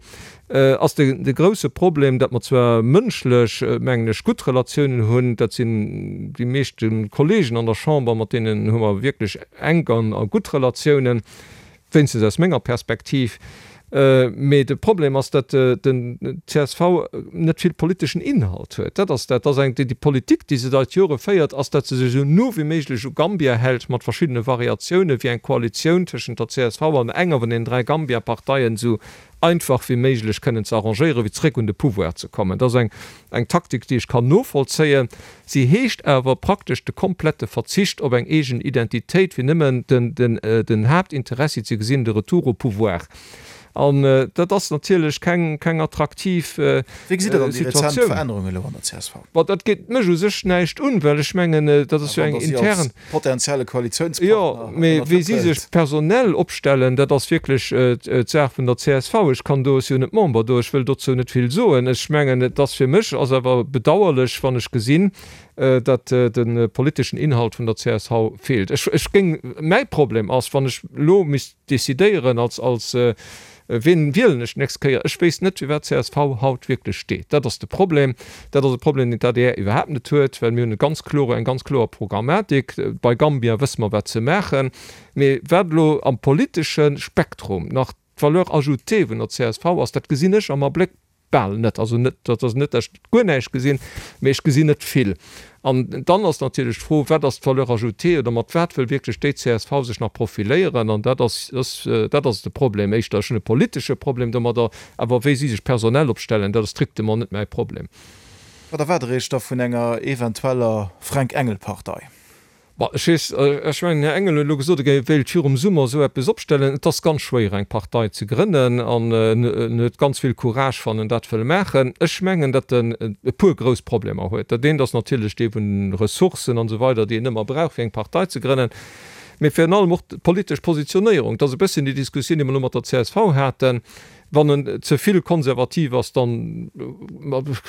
ass de grousse Problem, datt mer zwar mënschlech, mengen ech, gutt Relatiounen hunn, dat sinn déi meeschte Kollegen an der Chamber, mat deenen hu mer wierklech enk a gutt Relatiounen, wéinstens aus menger Perspektiv, mee de Problem ass, datt den csv net vill politeschen Inhalt huet. Dat ass dat. Dat ass eng, déi Politik, déi se seit Jore féiert, ass, datt se sech esou no wéi méiglech u Gambia hält, mat verschiddene Variatiounen, wéi eng Koalitioun tëschent der csv an enger vun den 3 Gambia-Parteien esou einfach wéi méiglech kënnen ze arrangéieren, fir zréck un de Pouvoir ze kommen. Dat ass eng, eng Taktik, déi ech kann novollzéien. Si heescht awer praktesch de komplette Verzicht op eng eegen Identitéit, fir nëmmen den, den, den Haaptinteressi ze gesinn, de Retour au pouvoir. An dat ass natierlech keng, keng attraktiv Wéi gesitt Der dann déi rezent Situatioun. Verännerungen elo an der csv? Bon, dat geet mech u sech näischt un, well ech mengen, dat ass jo eng intern. Potenzielle Koalitiounspartner Jo, mee wéi si sech personell opstellen, dat ass wierklech d'Saach vun der csv. Ech kann do, ech si jo net Member do, ech wëll dozou net vill soen. Ech mengen, et ass fir mech ass awer bedauerlech, wann ech gesinn, datt de politeschen Inhalt vun der csv feelt. Ech, ech géing, mäi Problem ass, wann ech elo misst decidéieren als, als Wien wielen ech d'nächst Kéier? Ech wéisst net, fir wat csv haut wierklech steet. Dat ass de Problem. Dat ass e Problem, deen d'ADR iwwerhaapt net huet, well mir hunn e ganz klore, eng ganz kloer Programmatik. Bei Gambia wësse mer, wat se maachen. Mee wat elo am politesche Spektrum nach d'Valeur ajoutée vun der csv ass, dat gesinn ech am Abléck Bal net. Also net, dat ass net, dat ech guer näischt gesinn, mee ech gesinn net vill. An dann ass natierlech d'Fro, Wat ass d'Valeur ajoutée oder mat wat wëll wierklech déi csv sech nach profiléieren? An dat ass, dat ass de Problem éischter. Ech hunn e politesche Problem domadder, awer wéi si sech personell opstellen, dat ass strictement net mäi Problem. Wat erwaart Der Iech da vun enger eventueller Fränk-Engel-Partei? Bon, ech weess, ech mengen, den Här Engel huet elo gesot, e wéilt virum Summer esou eppes opstellen. Et ass ganz schwéier, eng Partei ze grënnen, an en huet ganz vill Courage, wann en dat wëll maachen. Ech mengen, datt en e puer grouss Problemer huet. Dat eent ass natierlech dee vun de Ressourcen an esou weider, déi een ëmmer brauch, fir eng Partei ze grënnen, mee virun allem och d'politesch Positionéierung. Et ass e bësschen déi Diskussioun, déi mer elo mat der csv haten. Wann en ze vill konservativ ass, dann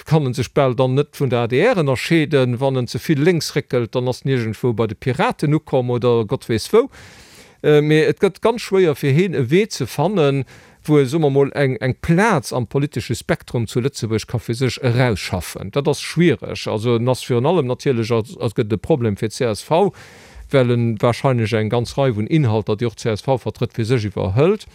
kann en sech bal dann net vun der adr ënnerscheeden. Wann en ze vill lénks réckelt, dann ass en iergendwou bei de Piraten ukomm oder Gott weess wou. Mee et gëtt ganz schwéier fir heen e Wee ze fannen, wou e, soe mer mol, eng eng Plaz am politesche Spektrum zu Lëtzebuerg ka fir sech erausschaffen. Dat ass schwiereg. Also en ass virun allem natierlech, ass gëtt et e Problem fir d'CSV, well en wahrscheinlech eng ganz Rei vun Inhalter, déi och d'CSV vertrëtt, fir sech iwwerhëlt.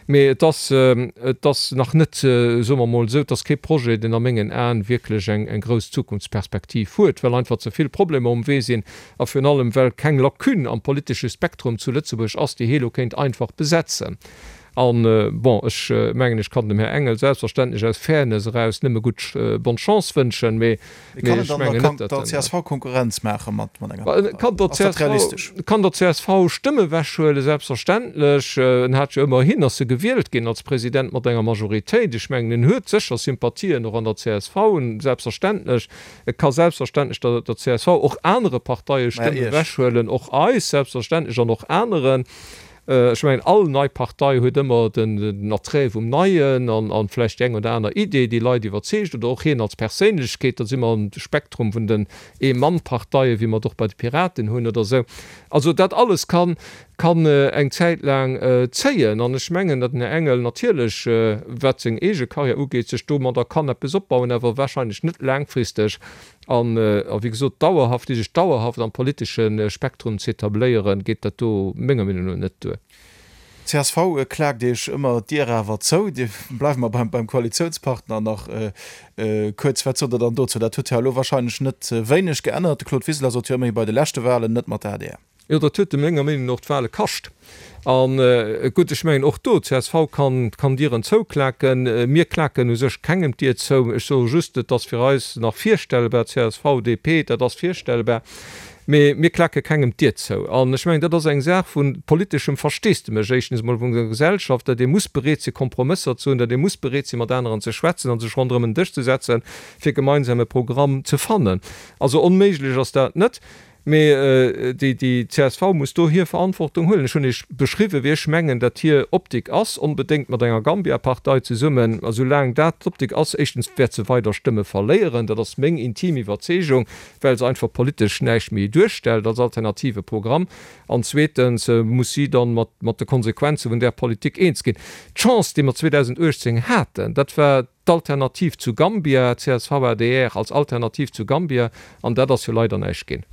Mee et ass, et ass nach net, soe mer emol esou, et ass kee Projet, deen a mengen Aen wierklech eng, eng grouss Zukunftsperspektiv huet, well einfach ze vill Problemer um Wee sinn a virun allem well keng Lacune am politesche Spektrum zu Lëtzebuerg ass, déi hee lo kéint einfach besetzen. An, bon, ech mengen, ech kann dem Här Engel selbstverständlech aus Fairness eraus nëmme gutt bonne Chance wënschen, mee Mee kann en dann der, kann der csv Konkurrenz maache mat enger Partei? Ass dat realistesch? Kann der csv Stëmme ewechhuelen, selbstverständlech. En hat jo ëmmerhin, ass e gewielt ginn als President mat enger Majoritéit. Ech mengen, en huet sécher Sympathien och an der csv, selbstverständlech. E ka selbstverständlech der der csv, och anere Parteie Stëmme ewechhuelen, och eis selbstverständlech an och aneren. Ech mengen, all nei Partei huet ëmmer den Attrait vum Neien an vläicht déi eng oder aner Idee, déi Leit iwwerzeegt, oder och hien als Perséinlechkeet. Da si mer am Spektrum vun den Ee-Mann-Parteien, wéi mer et och bei de Piraten hunn oder esou. Also dat alles kann eng Zäit laang zéien. An ech mengen, datt den Här Engel natierlech, wat seng eege Karriär ugeet, sech domadder kann eppes opbauen, awer wahrscheinlech net laangfristeg. An, a wéi gesot, dauerhaft, fir sech dauerhaft am politesche Spektrum ze etabléieren, geet dat do menger Meenung no net duer. Csv klaakt Iech ëmmer d'Dier awer zou. Dir, bleiwe mer beim, beim Koalitiounspartner nach kuerz. Wat sot Der dann dozou? Dat huet jo elo wahrscheinlech net wéineg geännert. De Claude Wiseler sot jo ëmmerhi bei de leschte Wahlen, net mat der adr. Jo, dat huet e menger Meenung no och d'Wahle kascht. A gutt, ech mengen och do, csv kann kann Dieren zouklaken. Mir klaken u sech kengem d'Dier zou. Ech soe just, et ass fir eis nach virstellbar, csv, DP, dat ass virstellbar, mee mir klake kengem d'Dier zou. An ech mengen, dat ass eng Saach vu politeschem Versteesdemech, éischtens emol vun der Gesellschaft, datt ee muss bereet si Kompromësser ze hunn, datt ee muss bereet si mat aneren ze schwätzen a sech ronderëm en Dësch ze setzen, fir gemeinsam e Programm ze fannen. Also onméiglech ass dat net. Mee déi csv muss do hir Verantwortung huelen. Ech hunn Iech beschriwwen, wéi ech mengen, datt hir Optik ass, onbedéngt mat enger Gambia-Partei zesummen. A soulaang dat d'Optik ass, éischtens wäert se weider Stëmme verléieren, dat ass meng intim Iwwerzeegung, well se einfach politesch näischt méi duerstellt als alternative Programm, an zweetens muss si dann mat de Konsequenze vun där Politik eens ginn. D'Chance, déi mer 2018 haten, dat war, D'Alternativ zu Gambia, csv-adr als Alternativ zu Gambia, an dat ass jo leider näischt ginn.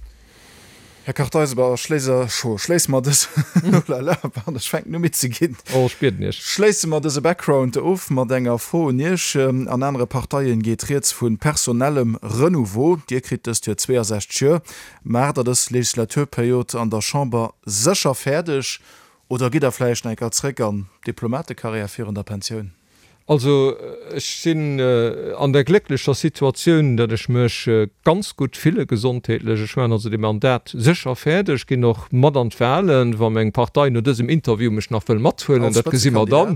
Här Kartheiser, schléisse mer dës, oh la la, pardon, ech fänken u midd ze ginn. Oh, ech bieden Iech. Schléisse mer dëse Background of mat enger Fro un Iech. An anere Parteien geet rieds vu personellem Renouveau. Dir kritt dëst Joer 62 Joer. Maacht Der dës Legislaturperiod an der Chamber sécher fäerdeg oder gitt Der vläicht nach eng Kéier zréck an d'Diplomatekarriär virun der Pensioun? Also ech sinn an der glécklecher Situatioun, datt ech mech ganz gutt fille gesondheetlech. Ech maachen also dee Mandat sécher fäerdeg, ginn och mat an d'Wahlen, wa meng Partei no dësem Interview mech nach wëll mathuelen, dat gesi mer dann.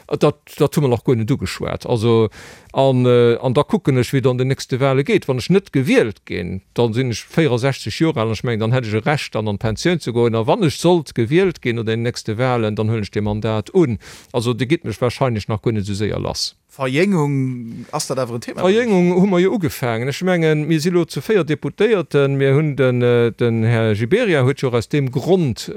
Dat, dat hu mer nach guer net ugeschwat. Also, an, an da kucken ech, wéi et an den nächste Wahle geet. Wann ech net gewielt ginn, da sinn ech 64 Joer al an ech mengen, dann hätt ech e Recht dann an d'Pensioun ze goen. A wann ech sollt gewielt ginn no den nächste Wahlen, dann huelen ech dee Mandat un. Also Dir gitt mech wahrscheinlech nach guer net esou séier lass. Verjéngung, ass dat awer en Thema bei Iech? Verjéngung hu mer jo ugefaangen. Ech mengen, mir si lo zu 4 Deputéierten. Mir hunn den, den Här Gibéryen huet jo och aus deem Grond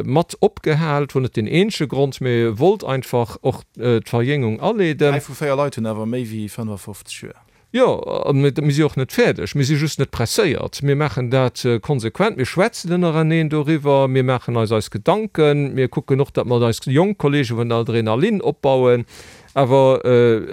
mat opgehalt, wor net deen eenzege Grond, mee e wollt einfach och d'Verjéngung aleeden. 3 vu 4 Leit hunn awer méi wéi 55 Joer. Jo, a mir si och net fäerdeg. Mir si just net presséiert. Mir maachen dat konsequent. Mir schwätzen ënnereneen doriwwer. Mir maachen eis eis Gedanken. Mir kucken och, datt mer eis jonk Kollege vun der Adrenalin opbauen. Awer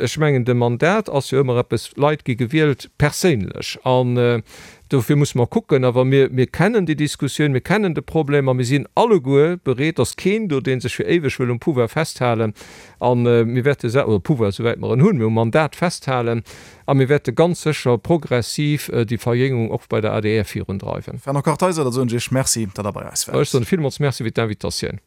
ech mengen, de Mandat ass jo ëmmer eppes, Leit gi gewielt perséinlech. An dofir musse mer kucken. Awer mir, mir kennen déi Diskussioun, mir kennen de Problem a mir sinn alleguer bereet, ass keen do, dee sech fir éiweg wëll um Pouvoir festhalen, A mir wäerte, oder Pouvoir, souwäit mer en hunn, mir um Mandat festhalen a mir wäerte ganz sécher progressiv déi Verjéngung och bei der adr virundreiwen. Fernand Kartheiser, da soen ech Iech Merci, datt Der bei eis waart. Ech soen villmools Merci fir d'Invitatioun.